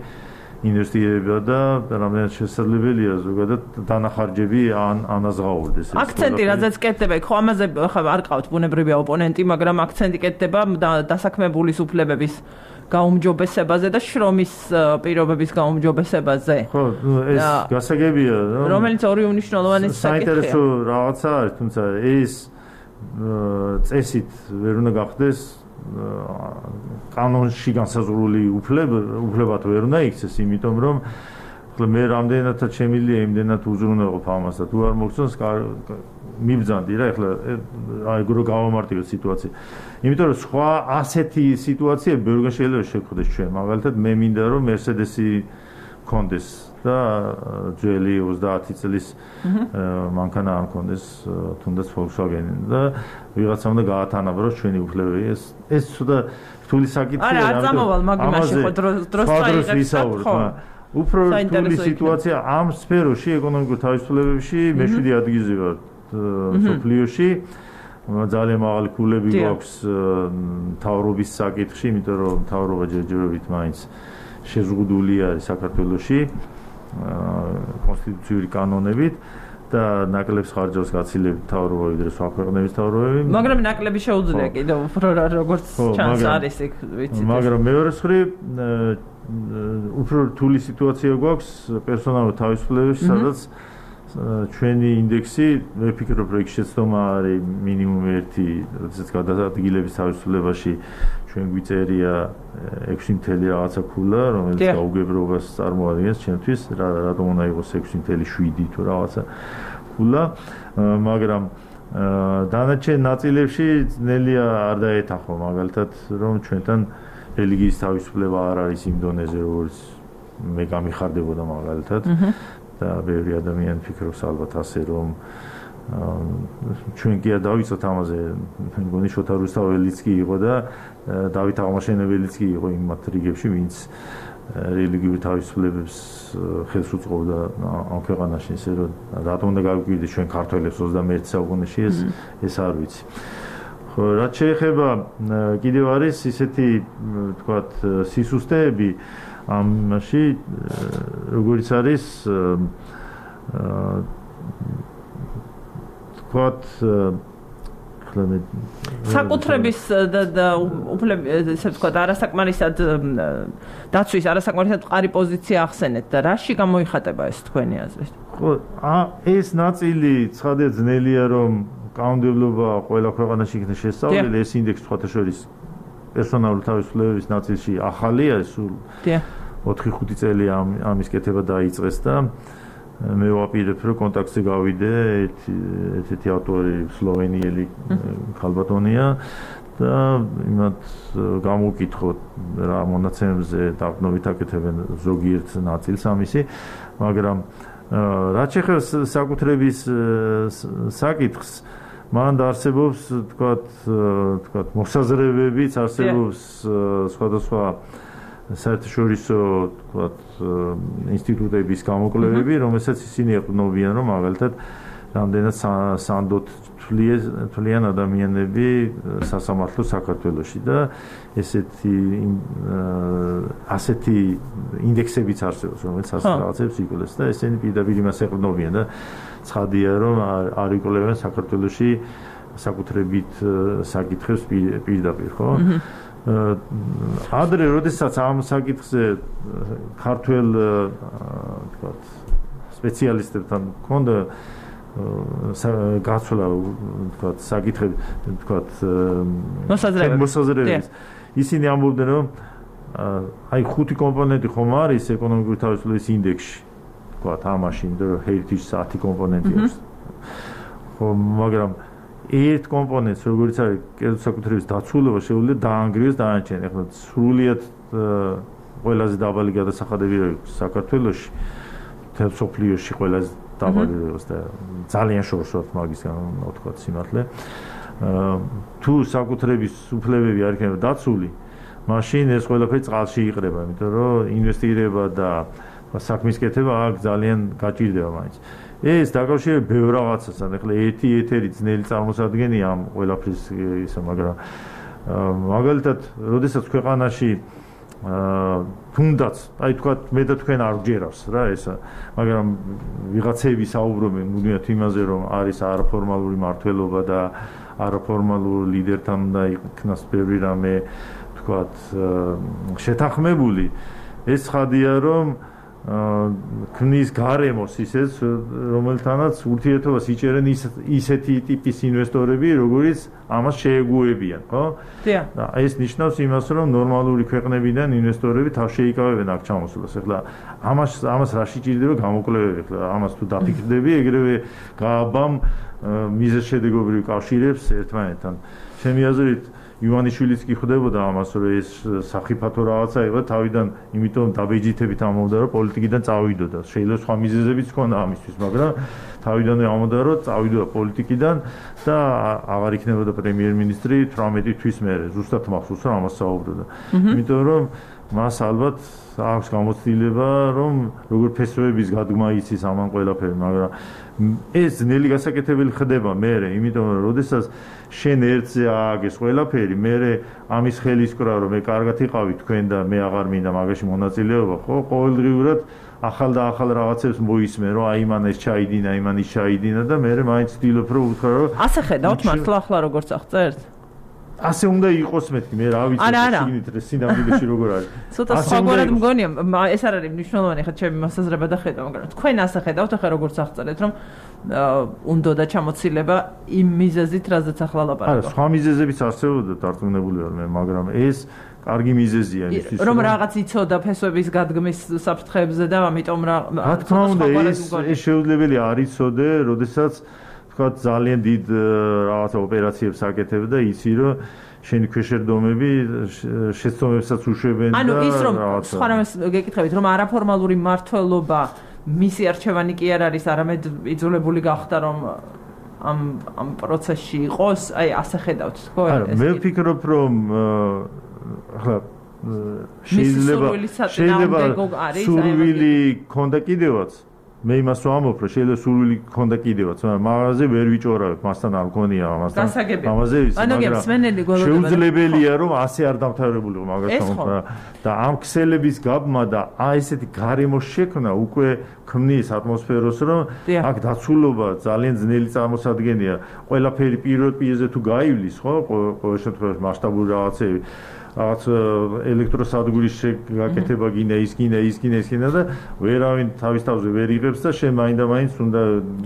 ინვესტირება და რამდენად შესაძლებელია ზოგადად დანახარჯები ან ანაზღაურდეს. აქცენტი რაზეც კეთდება, ხო ამაზე ხა არ ყავთ ბუნებრივია ოპონენტი, მაგრამ აქცენტი კეთდება დასაქმებულის უფლებების გაუმჯობესებაზე და შრომის პირობების გაუმჯობესებაზე. ხო, ეს გასაგებია, რომელიც ორი უნიშნულოვანი საკითხია. საინტერესო რაღაცა არის, თუმცა ეს წესით ვერ უნდა გახდეს კანონში განსაზღვრული უფლებად ვერ უნდა იქცეს, იმიტომ რომ მე რამდენადაც შემიძლია იმდენად უზრუნველყოფ ამას და თუ არ მოგწონს მიბრძანდი რა, ეხლა აი გრო გავამარტივებ სიტუაცია. იმიტომ რომ სხვა ასეთი სიტუაცია ბევრგან შეიძლება შეგხვდეს ჩვენ. მაგალითად მე მინდა რომ Mercedes-ი კონდეს და ძველი ოცდაათი წლის მანქანა არ კონდეს თუნდაც Volkswagen-ი და ვიღაცა უნდა გაათანაბროს ჩვენი უფლებები. ეს ეს ცოტა რთული საკითხია. არა, არ წამოვალ მაგიმაში ხო დროს წაიღებს ხო. უფრო რთული სიტუაცია ამ სფეროში, ეკონომიკურ თავისუფლებებში მეშვიდე ადგილზე ვარ სოფლიოში. ძალიან მაღალი ქულები გვაქვს მთავრობის საკითხში, იმიტომ რომ მთავრობა ჯერჯერობით მაინც შეზღუდული არის საქართველოში კონსტიტუციური კანონებით და ნაკლებს ხარჯავს გაცილებით მთავრობა ვიდრე სხვა ქვეყნების მთავრობები. მაგრამ ნაკლები შეუძლია კიდევ უფრო როგორც ჩანს არის იქ ვიცით. მაგრამ მეორე მხრივ უფრო რთული სიტუაცია გვაქვს პერსონალურ თავისუფლებებში, სადაც ჩვენი ინდექსი, მე ვფიქრობ, რომ იქ შეცდომა არის მინიმუმ ერთი, როდესაც გადაადგილების თავისუფლებაში ჩვენ გვიწერია ექვსი მთელი რაღაცა ქულა, რომელიც გაუგებრობას წარმოადგენს ჩემთვის, რატომ უნდა იყოს ექვსი მთელი შვიდი თუ რაღაცა ქულა, მაგრამ დანარჩენ ნაწილებში ძნელია არ დაეთანხო, მაგალითად, რომ ჩვენთან რელიგიის თავისუფლება არ არის იმ დონეზე, როგორც მე გამიხარდებოდა მაგალითად. და ბევრი ადამიანი ფიქრობს ალბათ ასე, რომ ჩვენ კი არ დავიცოთ ამაზე, მგონი შოთა რუსთაველიც კი იყო და დავით აღმაშენებელიც კი იყო იმ მათ რიგებში, ვინც რელიგიურ თავისუფლებებს ხელს უწყობდა ამ ქვეყანაში, ესე რომ რატომ უნდა გავიკვირდეთ ჩვენ ქართველებს ოცდამეერთე საუკუნეში, ეს ეს არ ვიცი. ხო, რაც შეეხება კიდევ არის ისეთი, თქვათ, სისუსტეები ამაში, როგორიც არის თქვათ საკუთრების და უფლების, ესე ვთქვათ, არასაკმარისად დაცვის, არასაკმარისად მყარი პოზიცია ახსენეთ და რაში გამოიხატება ეს თქვენი აზრით? ხო, ეს ნაწილი ცხადია ძნელია, რომ კანონმდებლობა ყველა ქვეყანაში იქნება შესწავლილი, ეს ინდექსი სხვათა შორის პერსონალური თავისუფლებების ნაწილში ახალია, სულ ოთხი ხუთი წელი ამის კეთება დაიწყეს და მე ვაპირებ, რომ კონტაქტზე გავიდე ერთ-ერთი ავტორი სლოვენიელი ქალბატონია და იმათ გამოვკითხოთ რა მონაცემებზე დაყრდნობით აკეთებენ ზოგიერთ ნაწილს ამისი, მაგრამ რაც შეეხება საკუთრების საკითხს, მან არსებობს თქვათ თქვათ მოსაზრებებიც არსებობს სხვადასხვა საერთაშორისო თქვათ ინსტიტუტების გამოკვლევები, რომელსაც ისინი ეყრდნობიან, რომ მაგალითად რამდენად სანდოთ თვლიან ადამიანები სასამართლოს საქართველოში და ესეთი ასეთი ინდექსებიც არსებობს, რომელიც რაღაცებს იკვლევს და ესენი პირდაპირ იმას ეყრდნობიან და ცხადია, რომ არ იკვლევენ საქართველოში საკუთრებით საკითხებს პირდაპირ, ხო? ადრე, როდესაც ამ საკითხზე ქართველ თქვათ სპეციალისტებთან მქონდა გაცვლა თქვათ საკითხები თქვათ მოსაზრებები ისინი ამბობდნენ რომ აი ხუთი კომპონენტი ხომ არის ეკონომიკური თავისუფლების ინდექსში თქვათ ამაში იმიტომ რომ heritage ათი კომპონენტი აქვს ხო მაგრამ ერთ კომპონენტს როგორც არის კერძო საკუთრების დაცულობა შეუძლია დაანგრიოს დანარჩენი ახლა სრულიად ყველაზე დაბალი გადასახადები აქვს საქართველოში თელ სოფლიოში ყველაზე დაბალებს და ძალიან შორს ვართ მაგისგან ვთქვათ სიმართლე თუ საკუთრების უფლებები არ იქნება დაცული მაშინ ეს ყველაფერი წყალში იყრება იმიტომ რომ ინვესტირება და საქმის კეთება აქ ძალიან გაჭირდება მაინც ეს დაკავშირებით ბევრ რაღაცასთან ახლა ერთი ეთერი ძნელი წარმოსადგენია ამ ყველაფრის ისა მაგრამ მაგალითად როდესაც ქვეყანაში თუნდაც აი თქვა მე და თქვენ არ გჯერავს რა ესა მაგრამ ვიღაცები საუბრობენ მუდმივად იმაზე რომ არის არაფორმალური მართლობა და არაფორმალურ ლიდერთან და იქნას ბევრი რამე თქვათ შეთანხმებული ეს ხადია რომ ქმნის გარემოს ისეთ რომელთანაც ურთიერთობას იჭერენ ისეთი ტიპის ინვესტორები როგორიც ამას შეეგუებიან ხო და ეს ნიშნავს იმას რომ ნორმალური ქვეყნებიდან ინვესტორები თავს შეიკავებენ აქ ჩამოსვლას ახლა ამას ამას რა შეჭირდება გამოკვლევები ახლა ამას თუ დაფიქრდები ეგრევე გააბამ მიზეზშედეგობრივ კავშირებს ერთმანეთთან ჩემი აზრით ივანიშვილიც კი ხვდებოდა ამას რომ ეს საფრთხო რაღაცა იყო თავიდან იმიტომ დაბეჯითებით ამბობდა რომ პოლიტიკიდან წავიდოდა შეიძლება სხვა მიზეზებიც ჰქონდა ამისთვის მაგრამ თავიდანვე ამბობდა რომ წავიდოდა პოლიტიკიდან და აღარ იქნებოდა პრემიერ-მინისტრი თვრამეტი თვის მერე ზუსტად მახსოვს რომ ამას საუბრობდა იმიტომ რომ მას ალბათ აქვს გამოცდილება რომ როგორ ფესვების გადგმა იცის ამან ყველაფერი მაგრამ ეს ძნელი გასაკეთებელი ხდება მერე იმიტომ რომ როდესაც შენ ერთზე ააგეს ყველაფერი მერე ამის ხელისკრა რომ მე კარგად იყავი თქვენ და მე აღარ მინდა მაგაში მონაწილეობა ხო ყოველდღიურად ახალ და ახალ რაღაცებს მოისმენ რომ აი მან ეს ჩაიდინა აი მან ის ჩაიდინა და მერე მაინც ვთქვი რომ უთხრა რომ ასე ხედავთ მართლა ახლა როგორც აღწერთ ასე უნდა იყოს მეთქი მე რა ვიცი შეგინით სინამდვილეში როგორ არის ცოტა სხვაგვარად მგონია ეს არ არის მნიშვნელოვანი ხა ჩემი მოსაზრება და ხედავ მაგრამ თქვენ ასე ხედავთ ახლა როგორც აღწერეთ რომ უნდა და ჩამოცილება იმ მიზეზით რაზეც ახლა ლაპარაკობ არა სხვა მიზეზებიც არსებობდა დარწმუნებული ვარ მე მაგრამ ეს კარგი მიზეზია იმისთვის რომ რაღაც იცოდა ფესვების გადგმის საფრთხეებზე და ამიტომ რა რა თქმა უნდა ეს ეს შეუძლებელი არ იცოდე როდესაც თქვათ ძალიან დიდ რაღაცა ოპერაციებს აკეთებ და იცი რომ შენი ქვეშევრდომები შეცდომებსაც უშვებენ და ანუ ის რომ სხვა რამეს გეკითხებით რომ არაფორმალური მართლობა მისი არჩევანი კი არ არის არამედ იძულებული გახდა რომ ამ ამ პროცესში იყოს აი ასე ხედავთ თქო არა მე ვფიქრობ რომ ახლა შეიძლება შეიძლება სურვილი ქონდა კიდევაც მე იმას ვამბობ რომ შეიძლება სურვილი ქონდა კიდევაც მაგრამ მაღაზე ვერ ვიჭორავებ მასთან არ მქონია ამასთან ამაზე ის მაგრამ შეუძლებელია რომ ასე არ დამთავრებულიყო მაგასთან და ამ ქსელების გაბმა და აი ესეთი გარემოს შექმნა უკვე ქმნის ატმოსფეროს რომ აქ დაცულობა ძალიან ძნელი წარმოსადგენია ყველაფერი პირველ პირზე თუ გაივლის ხო ყოველ შემთხვევაში მასშტაბური რაღაცები რაღაც ელექტროსადგურის შეგაკეთება გინდა ის გინდა ის გინდა ის გინდა და ვერავინ თავის თავზე ვერ იღებს და შენ მაინდა მაინც უნდა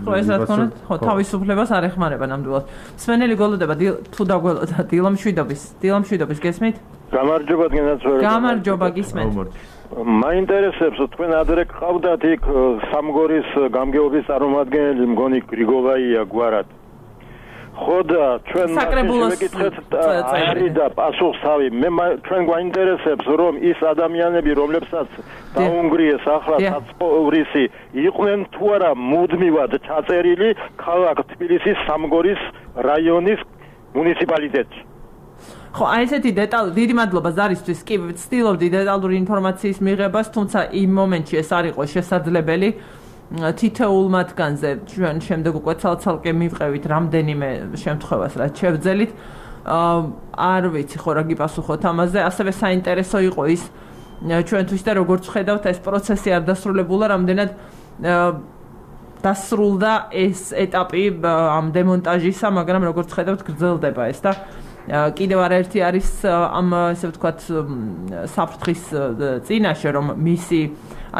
ხო ეს რა თქმა უნდა ხო თავისუფლებას არ ეხმარება ნამდვილად მსმენელი გოლოდება თუ დაგველოდა დილამშვიდობის დილამშვიდობის გესმით გამარჯობა გენაცვლა გამარჯობა გისმენთ მაინტერესებს თქვენ ადრე ყავდათ იქ სამგორის გამგეობის წარმომადგენელი მგონი გრიგოვაია გვარად ხო და ჩვენ მეკითხეთ არის და პასუხსავი მე ჩვენ გვაინტერესებს რომ ის ადამიანები რომლებსაც დაუნგრიეს ახლა საცხოვრისი იყვნენ თუ არა მუდმივად ჩაწერილი ქალაქ თბილისის სამგორის რაიონის მუნიციპალიტეტში ხო აი ესეთი დეტალი დიდი მადლობა ზარისთვის კი ვცდილობდი დეტალური ინფორმაციის მიღებას თუმცა იმ მომენტში ეს არ იყო შესაძლებელი თითოეულ მათგანზე ჩვენ შემდეგ უკვე ცალ-ცალკე მივყევით რამდენიმე შემთხვევას რაც შევძელით არ ვიცი ხო რა გიპასუხოთ ამაზე ასევე საინტერესო იყო ის ჩვენთვის და როგორც ხედავთ ეს პროცესი არ დასრულებულა რამდენად დასრულდა ეს ეტაპი ამ დემონტაჟისა მაგრამ როგორც ხედავთ გრძელდება ეს და კიდევ არაერთი არის ამ ესე ვთქვათ საფრთხის წინაშე რომ მისი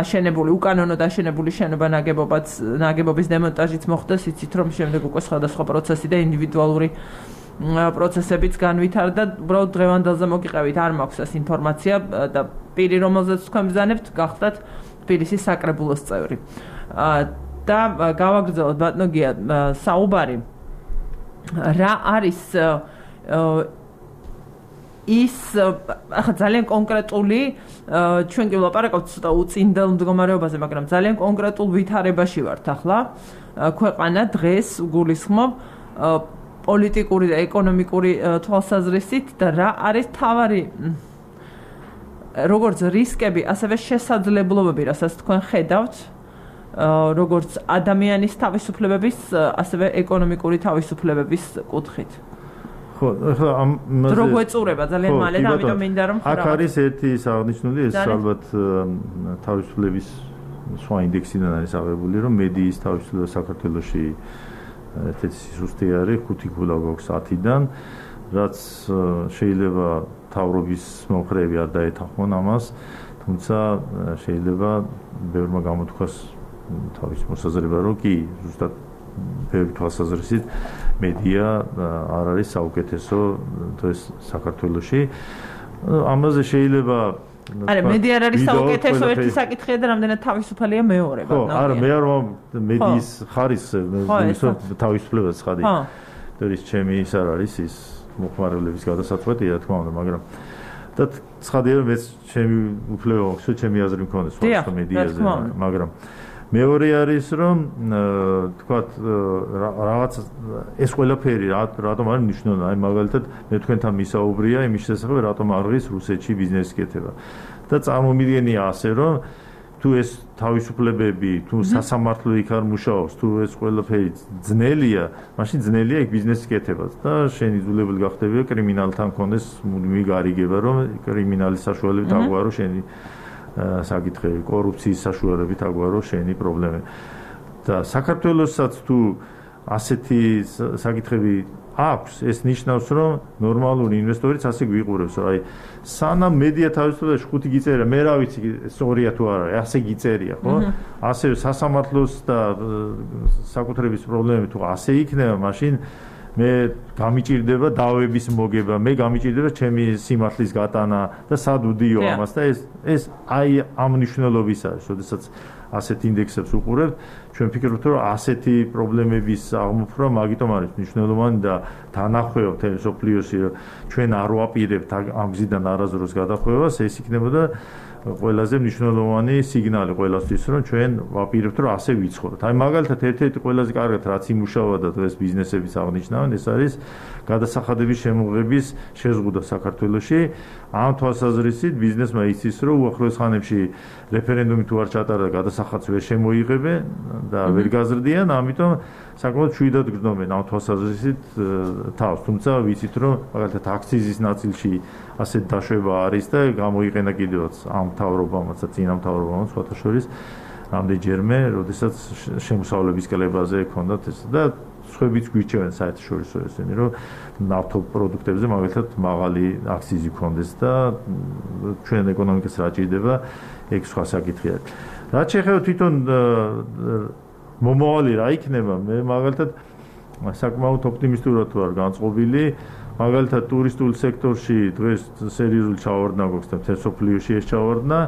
აშენებული უკანონოდ აშენებული შენობა ნაგებობაც ნაგებობის დემონტაჟიც მოხდეს იცით რომ შემდეგ უკვე სხვადასხვა პროცესი და ინდივიდუალური პროცესებიც განვითარდა უბრალოდ დღევანდელზე მოგიყევით არ მაქვს ეს ინფორმაცია და პირი რომელზეც თქვენ ბრძანებთ გახდათ თბილისის საკრებულოს წევრი და გავაგრძელოთ ბატონო გია საუბარი რა არის ის ახლა ძალიან კონკრეტული ჩვენ კი ვლაპარაკობთ ცოტა უწინდელ მდგომარეობაზე მაგრამ ძალიან კონკრეტულ ვითარებაში ვართ ახლა ქვეყანა დღეს გულისხმობ პოლიტიკური და ეკონომიკური თვალსაზრისით და რა არის თავარი როგორც რისკები ასევე შესაძლებლობები რასაც თქვენ ხედავთ როგორც ადამიანის თავისუფლებების ასევე ეკონომიკური თავისუფლებების კუთხით ხო, ახლა ამ დრო გვეწურება ძალიან მალე და ამიტომ მინდა რომ აქ არის ერთი აღნიშნული ეს ალბათ თავისუფლების სხვა ინდექსიდან არის აღებული რომ მედიის თავისუფლება საქართველოში ერთ-ერთი სიზუსტე არის ხუთი ქულა გვაქვს ათიდან რაც შეიძლება თავრობის მომხრეები არ დაეთანხმონ ამას თუმცა შეიძლება ბევრმა გამოთქვას თავის მოსაზრება რომ კი ზუსტად ბევრი თვალსაზრისით მედია არ არის საუკეთესო დღეს საქართველოში. ამაზე შეიძლება არა მედია არ არის საუკეთესო ერთი საკითხია და რამდენად თავისუფალია მეორე ხო არა მე არ მედიის ხარისხს თავისუფლებას ხადი. ეს ჩემი ის არ არის ის მოხმარებლების გადასაწყვეტია რა თქმა უნდა მაგრამ და ცხადია რომ ეს ჩემი უფლება აქვს ჩემი აზრი მქონდეს სხვა მედიაზე მაგრამ მეორე არის რომ თქვათ რაღაც ეს ყველაფერი რატომ არის მნიშვნელოვანი აი მაგალითად მე თქვენთან მისაუბრია იმის შესახებ რატომ არ ღირს რუსეთში ბიზნესი კეთება და წარმომიდგენია ასე რომ თუ ეს თავისუფლებები თუ სასამართლო იქ არ მუშაობს თუ ეს ყველაფერი ძნელია მაშინ ძნელია იქ ბიზნესი კეთება და შენ იძულებული გახდებია კრიმინალთან კონდეს მუდმივი გარიგება რომ კრიმინალის საშუალებით აგვარო შენი საკითხები კორუფციის საშუალებით აგვარო შენი პრობლემები და საქართველოსაც თუ ასეთი საკითხები აქვს ეს ნიშნავს რომ ნორმალური ინვესტორიც ასე გვიყურებს აი სანამ მედია თავისუფლებას ხუთი გიწერია მე რა ვიცი სწორია თუ არა ასე გიწერია ხო ასე სასამართლოს და საკუთრების პრობლემები თუ ასე იქნება მაშინ მე გამიჭირდება დავების მოგება მე გამიჭირდება ჩემი სიმართლის გატანა და სად ვდიო ამას და ეს ეს აი ამ მნიშვნელობის არის შესაძაც ასეთ ინდექსებს უყურებთ ჩვენ ფიქრობთ რომ ასეთი პრობლემების აღმოფხვრა მაგიტომ არის მნიშვნელოვანი და თანახმევ მთელი სოფლიოსი რომ ჩვენ არ ვაპირებთ ამ გზიდან არასდროს გადახვევას ეს იქნებოდა ყველაზე მნიშვნელოვანი სიგნალი ყველასთვის რომ ჩვენ ვაპირებთ რომ ასე ვიცხოვროთ. აი მაგალითად ერთ-ერთი ყველაზე კარგად რაც იმუშავა და დღეს ბიზნესებიც აღნიშნავენ ეს არის გადასახადების შემოღების შეზღუდვა საქართველოში. ამ თვალსაზრისით ბიზნესმა იცის რომ უახლოეს ხანებში რეფერენდუმი თუ არ ჩატარდა გადასახადს ვერ შემოიღებენ და ვერ გაზრდიან ამიტომ საკმაოდ შვიდად გრძნობენ ამ თვალსაზრისით თავს თუმცა ვიცით რომ მაგალითად აქციზის ნაწილში ასეთ დაშვება არის და გამოიყენა კიდევაც ამ მთავრობამაც და წინა მთავრობამაც სხვათა შორის რამდენჯერმე როდესაც შემოსავლების კლებაზე ჰქონდათ ეს და სხვაებიც გვირჩევენ საერთაშორისო ესენი რომ ნავთობპროდუქტებზე მაგალითად მაღალი აქციზი ჰქონდეს და ჩვენ ეკონომიკას რა ჭირდება ეგ სხვა საკითხია. რაც შეეხება თვითონ მომავალი რა იქნება მე მაგალითად საკმაოდ ოპტიმისტურად ვარ განწყობილი მაგალითად ტურისტულ სექტორში დღეს სერიოზული ჩავარდნა გვაქვს და მთელ სოფლიოში ეს ჩავარდნა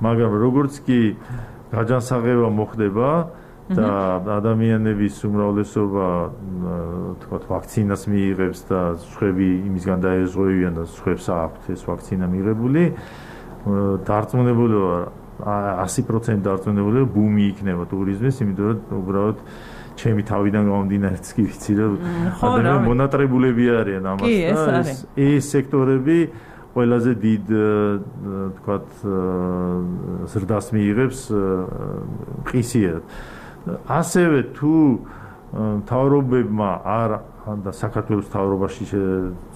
მაგრამ როგორც კი გაჯანსაღება მოხდება და ადამიანების უმრავლესობა თქვა ვაქცინას მიიღებს და სხვები იმისგან დაეზღვევიან და სხვებს აქვთ ეს ვაქცინა მიღებული დარწმუნებული ვარ ასი პროცენტი დარწმუნებული ვარ ბუმი იქნება ტურიზმის იმიტომ რომ უბრალოდ ჩემი თავიდან გამომდინარეც კი ვიცი რომ ადამიანები მონატრებულები არიან ამას და ეს სექტორები ყველაზე დიდ თქვათ ზრდას მიიღებს ყისიერად ასევე თუ მთავრობებმა არ და საქართველოს მთავრობაში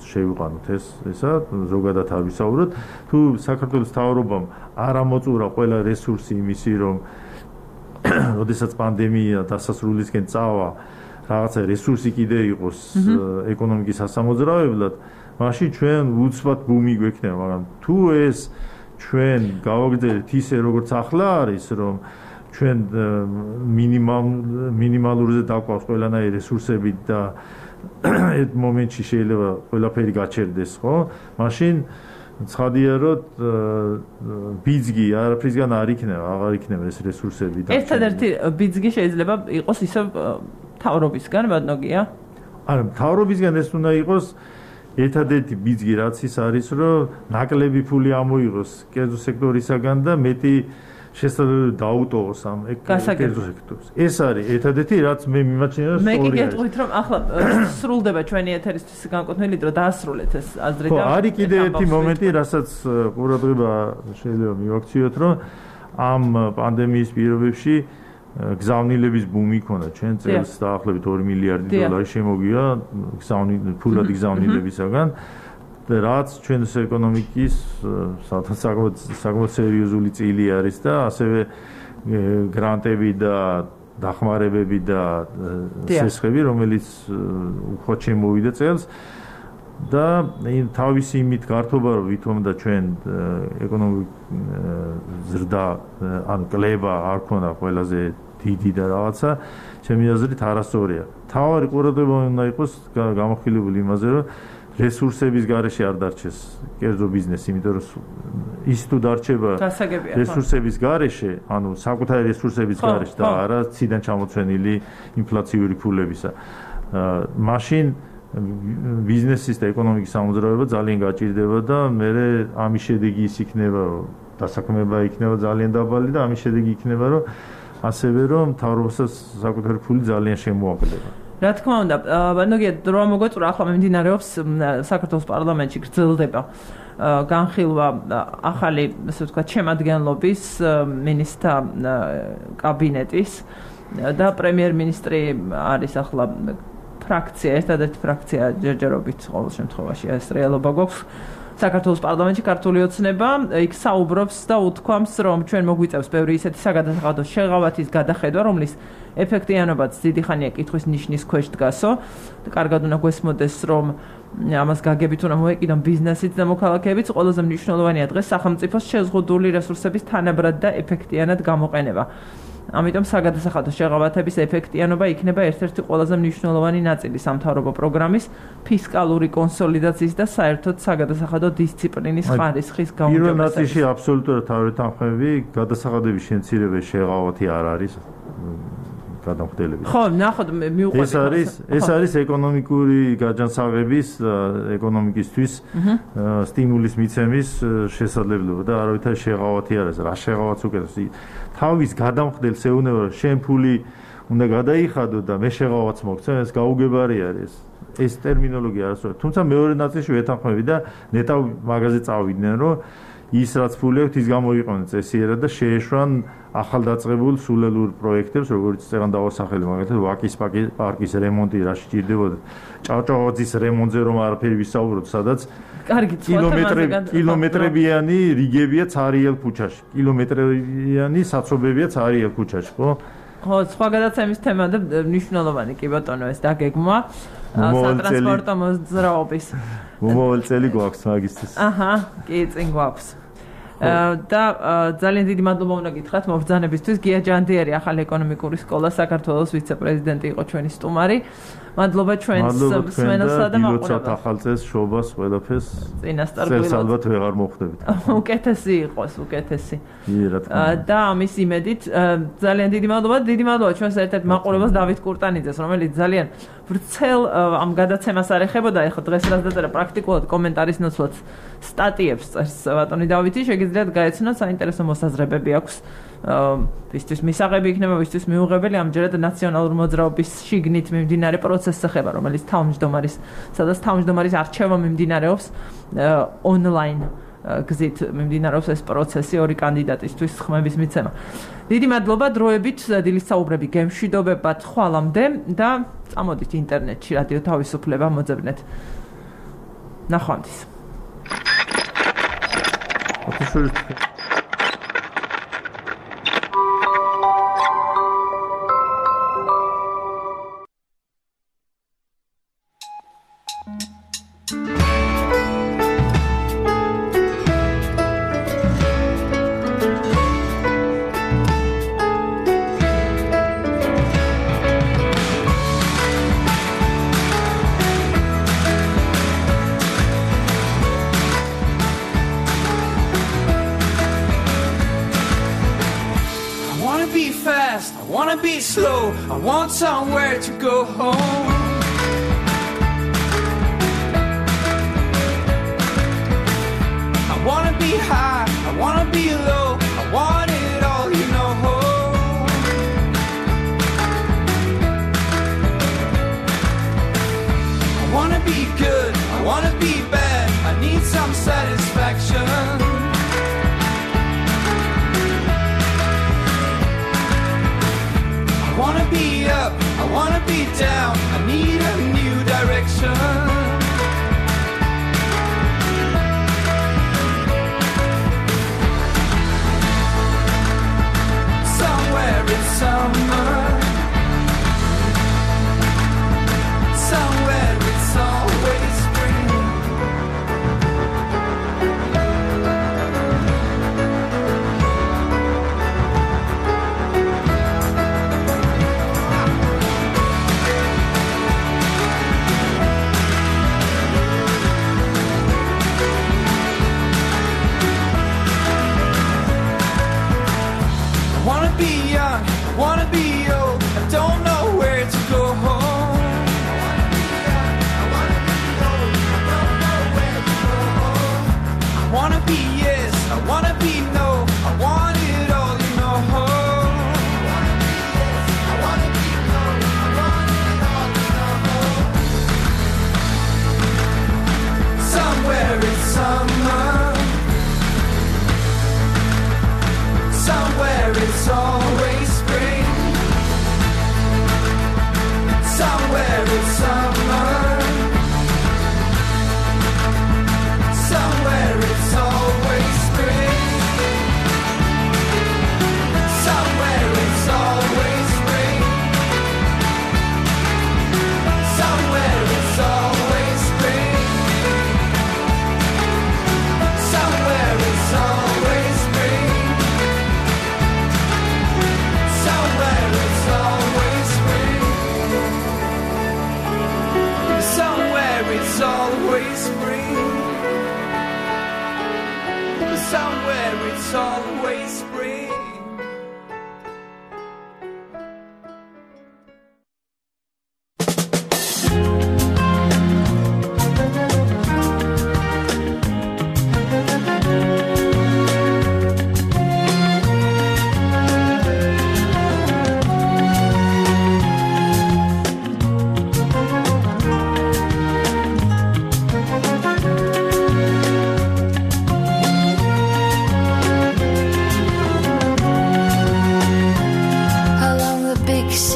შევიყვანოთ ეს ესა ზოგადად არ ვისაუბროთ თუ საქართველოს მთავრობამ არ ამოწურა ყველა რესურსი იმისი რომ როდესაც პანდემია დასასრულისკენ წავა რაღაცა რესურსი კიდე იყოს ეკონომიკის სასამოძრავებლად მაშინ ჩვენ უცბად ბუმი გვექნება მაგრამ თუ ეს ჩვენ გავაგრძელებთ ისე როგორც ახლა არის რომ ჩვენ მინიმალ მინიმალურზე დაგვაქვს ყველანაირი რესურსები და ერთ მომენტში შეიძლება ყველაფერი გაჩერდეს ხო მაშინ ცხადია რომ ბიძგი არაფრისგან არ იქნება აღარ იქნება ეს რესურსები და ერთადერთი ბიძგი შეიძლება იყოს ისე მთავრობისგან ბატონოგია არა მთავრობისგან ეს უნდა იყოს ერთადერთი ბიძგი რაც ის არის რომ ნაკლები ფული ამოიღოს კერძო სექტორისაგან და მეტი შესაძლებელი დაუტოვოს ამ კერძო სექტორს ეს არის ერთადერთი რაც მე მიმაჩნია მე კი გეტყვით რომ ახლა სრულდება ჩვენი ეთერისთვის განკუთვნილი დრო დაასრულეთ ეს აზრი და ხო არის კიდე ერთი მომენტი რასაც ყურადღება შეიძლება მივაქციოთ რომ ამ პანდემიის პირობებში გზავნილების ბუმი ქონდა ჩვენ წელს დაახლოებით ორი მილიარდი დოლარი შემოგია გზავნილ ფულად გზავნილებისაგან რაც ჩვენს ეკონომიკის საკმაოდ სერიოზული წილი არის და ასევე გრანტები და დახმარებები და სესხები რომელიც უხვად შემოვიდა წელს და თავისი იმით გართობა რომ ვითომ და ჩვენ ეკონომიკ ზრდა ან კლება არ ქონდა ყველაზე დიდი და რაღაცა ჩემი აზრით არასწორია თავარი ყურადღება უნდა იყოს გამოხილებული იმაზე რომ რესურსების გარეშე არ დარჩეს კერძო ბიზნესი, იმიტომ რომ ის თუ დარჩება რესურსების გარეშე, ანუ საკუთარი რესურსების გარეშე და არა ციდან ჩამოცვენილი ინფლაციური ფულებისა. მაშინ ბიზნესის და ეკონომიკის სამოძრაობა ძალიან გაჭირდება და მე ამის შედეგი ის იქნება, რომ დასაქმება იქნება ძალიან დაბალი და ამის შედეგი იქნება, რომ ასევე რომ მთავრობასაც საკუთარი ფული ძალიან შემოაკლდება. რა თქმა უნდა, ბანოგია დრო მოგვეწურა ახლა მიმდინარეობს საქართველოს პარლამენტში გრძელდება განხილვა ახალი, ასე ვთქვათ, შემადგენლობის მინისტრთა კაბინეტის და პრემიერ-მინისტრი არის ახლა ფრაქცია, ერთადერთი ფრაქცია ჯერჯერობით ყოველ შემთხვევაში ეს რეალობა გვაქვს საქართველოს პარლამენტში ქართული ოცნება იქ საუბრობს და უთქვამს რომ ჩვენ მოგვიწევს ბევრი ისეთი საგადასახადო შეღავათის გადახედვა რომლის ეფექტიანობაც დიდი ხანია კითხვის ნიშნის ქვეშ დგასო და კარგად უნდა გვესმოდეს რომ ამას გაგებით უნდა მოეკიდონ ბიზნესიც და მოქალაქეებიც ყველაზე მნიშვნელოვანია დღეს სახელმწიფოს შეზღუდული რესურსების თანაბრად და ეფექტიანად გამოყენება ამიტომ საგადასახადო შეღავათების ეფექტიანობა იქნება ერთ-ერთი ყველაზე მნიშვნელოვანი ნაწილი სამთავრობო პროგრამის ფისკალური კონსოლიდაციის და საერთოდ საგადასახადო დისციპლინის ხარისხის გაუმჯობესების. პირველ ნაწილში აბსოლუტურად თავრეთანხმები გადასახადების შემცირება შეღავათი არ არის გადამხდელები. ხო, ნახოთ მივყვეთ. ეს არის ეს არის ეკონომიკური გაჯანსაღების ეკონომიკისთვის სტიმულის მიცემის შესაძლებლობა და არავითარი შეღავათი არ არის. რა შეღავათს უკეთებს? თავის გადამხდელს ეუბნება რომ შენ ფული უნდა გადაიხადო და მე შეღავათს მოგცემ ეს გაუგებარი არის ეს ტერმინოლოგია არასწორია თუმცა მეორე ნაწილში ვეთანხმები და ნეტავ მაგაზე წავიდნენ რომ ის რაც ფული აქვს ის გამოიყენონ წესიერად და შეეშვან ახალდაწყებულ სულელურ პროექტებს როგორც წეგან დავასახელი მაგალითად ვაკის პარკის რემონტი რა სჭირდებოდა ჭავჭავაძის რემონტზე რომ არაფერი ვისაუბროთ სადაც კილომეტრებიანი რიგებია ცარიელ ქუჩაში კილომეტრებიანი საცობებია ცარიელ ქუჩაში ხო ხო სხვა გადაცემის თემა და მნიშვნელოვანი კი ბატონო ეს დაგეგმვა სატრანსპორტო მოძრაობის მომავალ წელი გვაქვს მაგისტრის აჰა კი წინ გვაქვს და ძალიან დიდი მადლობა უნდა გითხრათ მობრძანებისთვის გია ჯანდიერი ახალი ეკონომიკური სკოლა საქართველოს ვიცე-პრეზიდენტი იყო ჩვენი სტუმარი მადლობა ჩვენს მსმენელსა და მაყურებელს. ახალ წელს შობას ყველაფერს. წინასწარ ალბათ ვეღარ მოხვდებით. უკეთესი იყოს, უკეთესი. კი, რა თქმა უნდა. და ამის იმედით ძალიან დიდი მადლობა, დიდი მადლობა ჩვენს ერთ-ერთ მაყურებელს დავით კურტანიძეს, რომელიც ძალიან ვრცელ ამ გადაცემას არ ეხებოდა, ეხლა დღეს რაც დაწერა პრაქტიკულად კომენტარის ნაცვლად სტატიებს წერს ბატონი დავითი, შეგიძლიათ გაეცნოთ, საინტერესო მოსაზრებები აქვს. ვისთვის მისაღები იქნება, ვისთვის მიუღებელი, ამჯერად ნაციონალურ მოძრაობის შიგნით მიმდინარე პროცესს ეხება, რომელიც თავმჯდომარის, სადაც თავმჯდომარის არჩევა მიმდინარეობს ონლაინ გზით მიმდინარეობს ეს პროცესი ორი კანდიდატისთვის ხმების მიცემა. დიდი მადლობა დროებით დილის საუბრები გემშვიდობებად ხვალამდე და წამოდით ინტერნეტში რადიო თავისუფლება მოძებნეთ. ნახვამდის. I want somewhere to go home. I wanna be high, I wanna be low, I want it all, you know. I wanna be good, I wanna be bad, I need some satisfaction. I wanna be up, I wanna be down, I need a new direction. Somewhere in summer, somewhere it's always spring. I wanna be young, I wanna be old, I don't know where to go home. I wanna be young, I wanna be old, I don't know where to go home. I wanna be yes, I wanna be no, I want it all, you know. I wanna be yes, I wanna be no, I want it all, you know. Somewhere in summer, somewhere it's always spring. Somewhere it's summer. Somewhere it's always spring. Somewhere it's always spring. Somewhere it's always spring. Somewhere it's always spring. Somewhere it's always spring. Somewhere it's always spring. Somewhere it's always spring.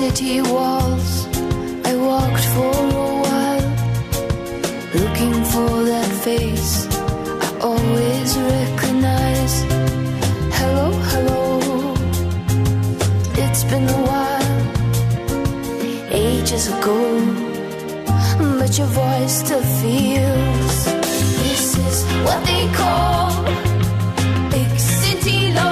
City walls, I walked for a while, looking for that face I always recognize. Hello, hello, it's been a while, ages ago, but your voice still feels. This is what they call big city love.